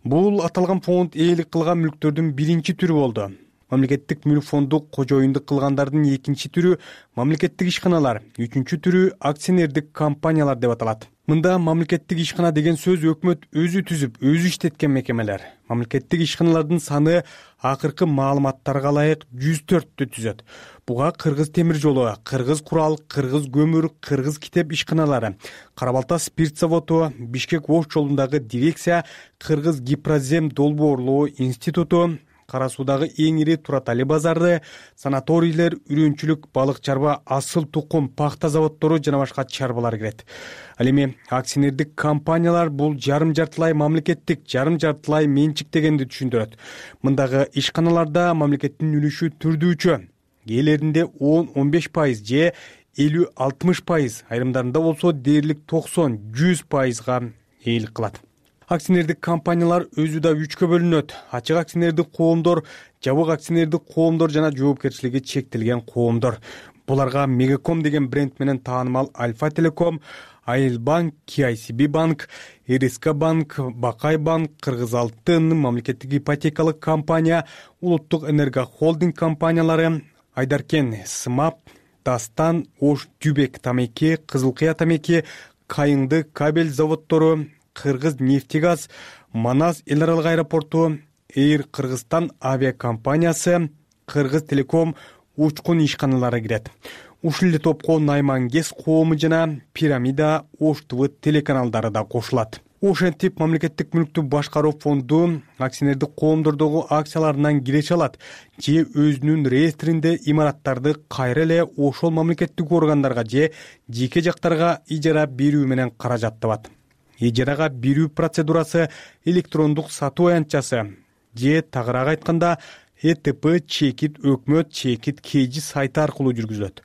Бул аталган фонд ээлик кылган мүлктөрдүн биринчи түрү болду. Мамлекеттик мүлк фонду кожоюндук кылгандардын экинчи түрү мамлекеттик ишканалар, үчүнчү түрү акционердик компаниялар деп аталат. Мында мамлекеттик ишкана деген сөз өкмөт өзү түзүп, өзү иштеткен мекемелер. Мамлекеттик ишканалардын саны акыркы маалыматтарга ылайык 104-тү түзөт. Буга Кыргыз темир жолу, Кыргыз курал, Кыргыз көмүр, Кыргыз китеп ишканалары, Кара-Балта спирт заводу, Бишкек-Ош жолундагы дирекция, Кыргыз гипрозем долбоорлоо институту, Кара Суудагы эң ири Туратали базары, санаторийлер, үрүнчүлүк, балык чарба, асыл тукум, пахта заводдору жана башка чарбалар кирет. Ал эми акционердик компаниялар бул жарым-жартылай мамлекеттик, жарым-жартылай менчик дегенди түшүндүрөт. Мындагы ишканаларда мамлекеттин үлүшү түрдүүчө. Кээлеринде 10-15% же 50-60%, айрымдарында болсо дээрлик 90-100%га ээлик кылат. Акционердик компаниялар өзү да 3кө бөлүнөт. Ачык акционердик коомдор, жабык акционердик коомдор жана жоопкерчилиги чектелген коомдор. Буларга Мегаком деген бренд менен таанымал Альфа Телеком, Айыл банк, KICB банк, РСК банк, Бакай банк, Кыргыз алтын, мамлекеттик ипотекалык компания, Улуттук энерго холдинг компаниялары, Айдаркен СМАП, Дастан, Ош Түбек тамеки, Кызылкыя тамеки, Кайыңды кабель заводдору, Кыргыз нефтегаз, Манас эл аралык аэропорту, Эйр Кыргызстан авиакомпаниясы, Кыргыз телеком, учкун ишканалары кирет. Ушул эле топко Найман ГЭС коому жана Пирамида, Ош ТВ телеканалдары да кошулат. Ошентип мамлекеттик мүлктү башкаруу фонду акционердик коомдордогу акцияларынан киреше алат же өзүнүн реестринде имараттарды кайра эле ошол мамлекеттик органдарга же жеке жактарга ижара берүү менен каражат табат. Ижарага берүү процедурасы электрондук сатуу аянтчасы же тагыраак айтканда ЭТП чекит өкмөт чекит КЖ сайты аркылуу жүргүзүлөт.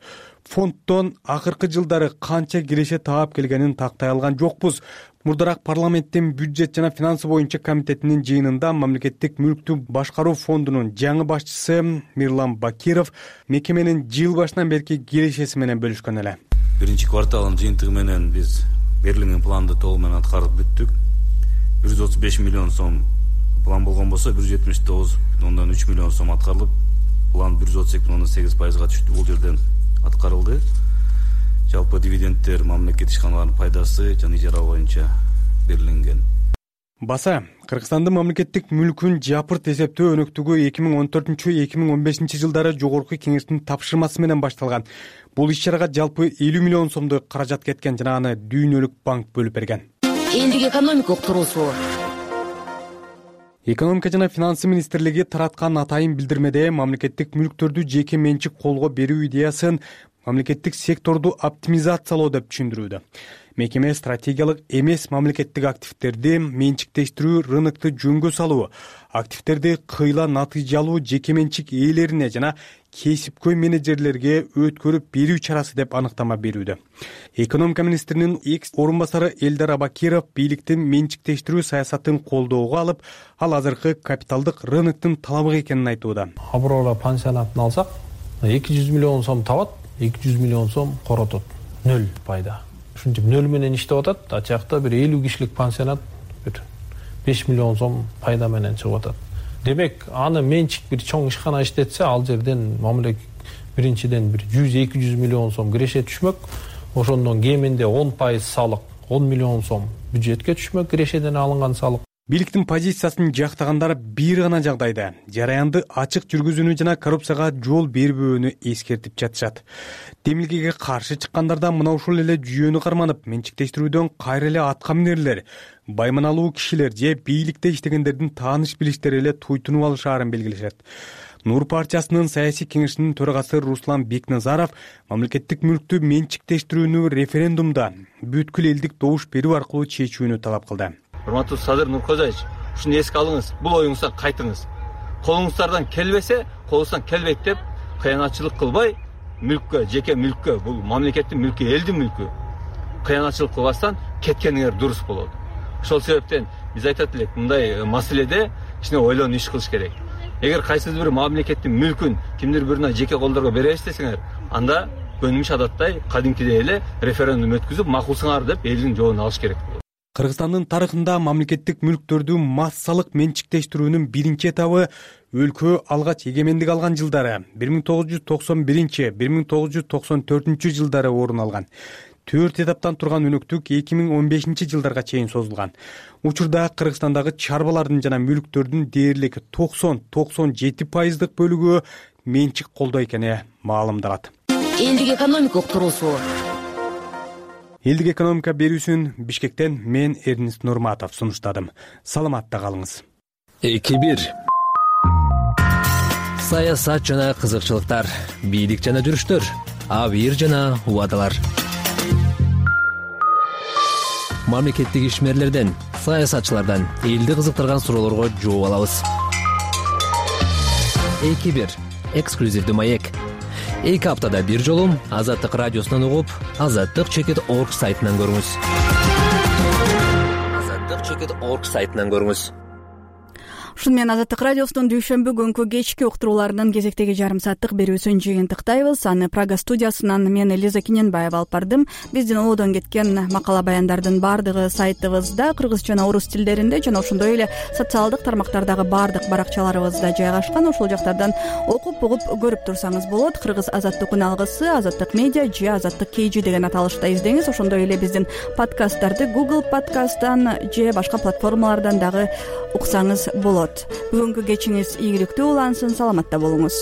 Фонддон акыркы жылдары канча киреше таап келгенин тактай алган жокпуз. Мурдараак парламенттин бюджет жана финансы боюнча комитетинин жыйынында мамлекеттик мүлктү башкаруу фондунун жаңы башчысы Мирлан Бакиров мекеменин жыл башынан берки кирешеси менен бөлүшкөн эле. Биринчи кварталдын жыйынтыгы менен биз берилген планды толугу менен аткарып бүттүк. 135 миллион сом план болгон болсо 179,3 миллион сом аткарылып, план 132,8%га түштү. Бул жерден аткарылды. Жалпы дивидендтер мамлекет ишканаларынын пайдасы жана ижара боюнча берилген. Баса, Кыргызстандын мамлекеттик мүлкүн жапырт эсептөө өнөктүгү 2014-2015 жылдары жогорку кеңештин тапшырмасы менен башталган. Бул иш-чарага жалпы 50 миллион сомдой каражат кеткен жана аны Дүйнөлүк банк бөлүп берген. Элдик экономика уктуруусу. Экономика жана финансы министрлиги тараткан атайын билдирмеде мамлекеттик мүлктөрдү жеке менчик колго берүү идеясын мамлекеттик секторду оптимизациялоо деп түшүндүрүүдө. Мекеме стратегиялык эмес мамлекеттик активдерди менчиктештирүү, рынокту жөнгө салуу, активдерди кыйла натыйжалуу жеке менчик ээлерине жана кесипкөй менеджерлерге өткөрүп берүү чарасы деп аныктама берүүдө. Экономика министринин экс орун басары Элдар Абакиров бийликтин менчиктештирүү саясатын колдоого алып, ал азыркы капиталдык рыноктун талабы экенин айтууда. Аброра пансионатын алсак, 200 миллион сом табат, 200 миллион сом коротот. 0 пайда. Ушинтип 0 менен иштеп атат, а жакта бир 50 кишилик пансионат бир 5 миллион сом пайда менен чыгып атат. Демек, аны менчик бир чоң ишкана иштетсе, ал жерден мамлекет биринчиден бир 100-200 миллион сом киреше түшмөк, ошондон кеминде 10% салык, 10 миллион сом бюджетке түшмөк, кирешеден алынган салык. Бийликтин позициясын жактагандар бир гана жагдайда жараянды ачык жүргүзүүнү жана коррупцияга жол бербөөнү эскертип жатышат. Демилгеге каршы чыккандарда мына ушул эле жүйөнү карманып, менчиктештирүүдөн кайра эле атка минерлер, байманалуу кишилер же бийликте иштегендердин тааныш билиштери эле туйтунуп алышаарын белгилешет. Нур партиясынын саясий кеңешинин төрагасы Руслан Бекназаров мамлекеттик мүлктү менчиктештирүүнү референдумда бүткүл элдик добуш берүү аркылуу чечүүнү талап кылды. Урматтуу Садыр Нуркожаевич, ушуну эске алыңыз, бул оюңуздан кайтыңыз. Колуңуздардан келбесе, колуңуздан келбейт деп кыянатчылык кылбай, мүлккө, жеке мүлккө, бул мамлекеттин мүлкү, элдин мүлкү, кыянатчылык кылбастан кеткениңер дурус болот. Ошол себептен биз айтат элек, мындай маселеде кичине ойлонуп иш кылыш керек. Эгер кайсыдыр бир мамлекеттин мүлкүн кимдир бирине жеке колдорго беребиз десеңер, анда көнүмүш адаттай кадимкидей эле референдум өткүзүп, макулсыңар деп элдин жообун алыш керек болот. Кыргызстандын тарыхында мамлекеттик мүлктөрдү массалык менчиктештирүүнүн биринчи этабы өлкө алгач эгемендик алган жылдары 1991-1994 жылдары орун алган. 4 этаптан турган өнөктүк 2015 жылдарга чейин созулган. Учурда Кыргызстандагы чарбалардын жана мүлктөрдүн дээрлик 90-97% бөлүгү менчик колдо экени маалымдалат. Элдик экономика уктуруусу. Элдик экономика берүүсүн Бишкектен мен Эрнист Нурматов сунуштадым. Саламатта калыңыз. 2-1. Саясат жана кызыкчылыктар, бийлик жана жүрүштөр, абийир жана убадалар. Мамлекеттик ишмерлерден, саясатчылардан элди кызыктырган суроолорго жооп алабыз. 2-1. Эксклюзивдүү маек. 2 аптада бир жолу Азаттык радиосунан угуп, azattik.org сайтынан көрүңүз. azattik.org сайтынан көрүңүз. Ушун менен Азаттык радиосунун дүйшөмбү күнкү кечки уктурууларынын кезектеги жарым сааттык берүүсүн жыйынтыктайбыз. Аны Прага студиясынан мен Элиза Киненбаева алып бардым. Биздин оодон кеткен макала баяндардын баардыгы сайтыбызда кыргыз жана орус тилдеринде жана ошондой эле социалдык тармактардагы баардык баракчаларыбызда жайгашкан. Ошол жактардан окуп угуп көрүп турсаңыз болот. Кыргыз азаттык үн алгысы, Азаттык медиа же Азаттык KG деген аталышта издеңиз. Ошондой эле биздин подкасттарды Google подкасттан же башка платформалардан дагы уксаңыз болот. Бүгүнкү кечиңиз ийгиликтүү улансын, саламатта болуңуз.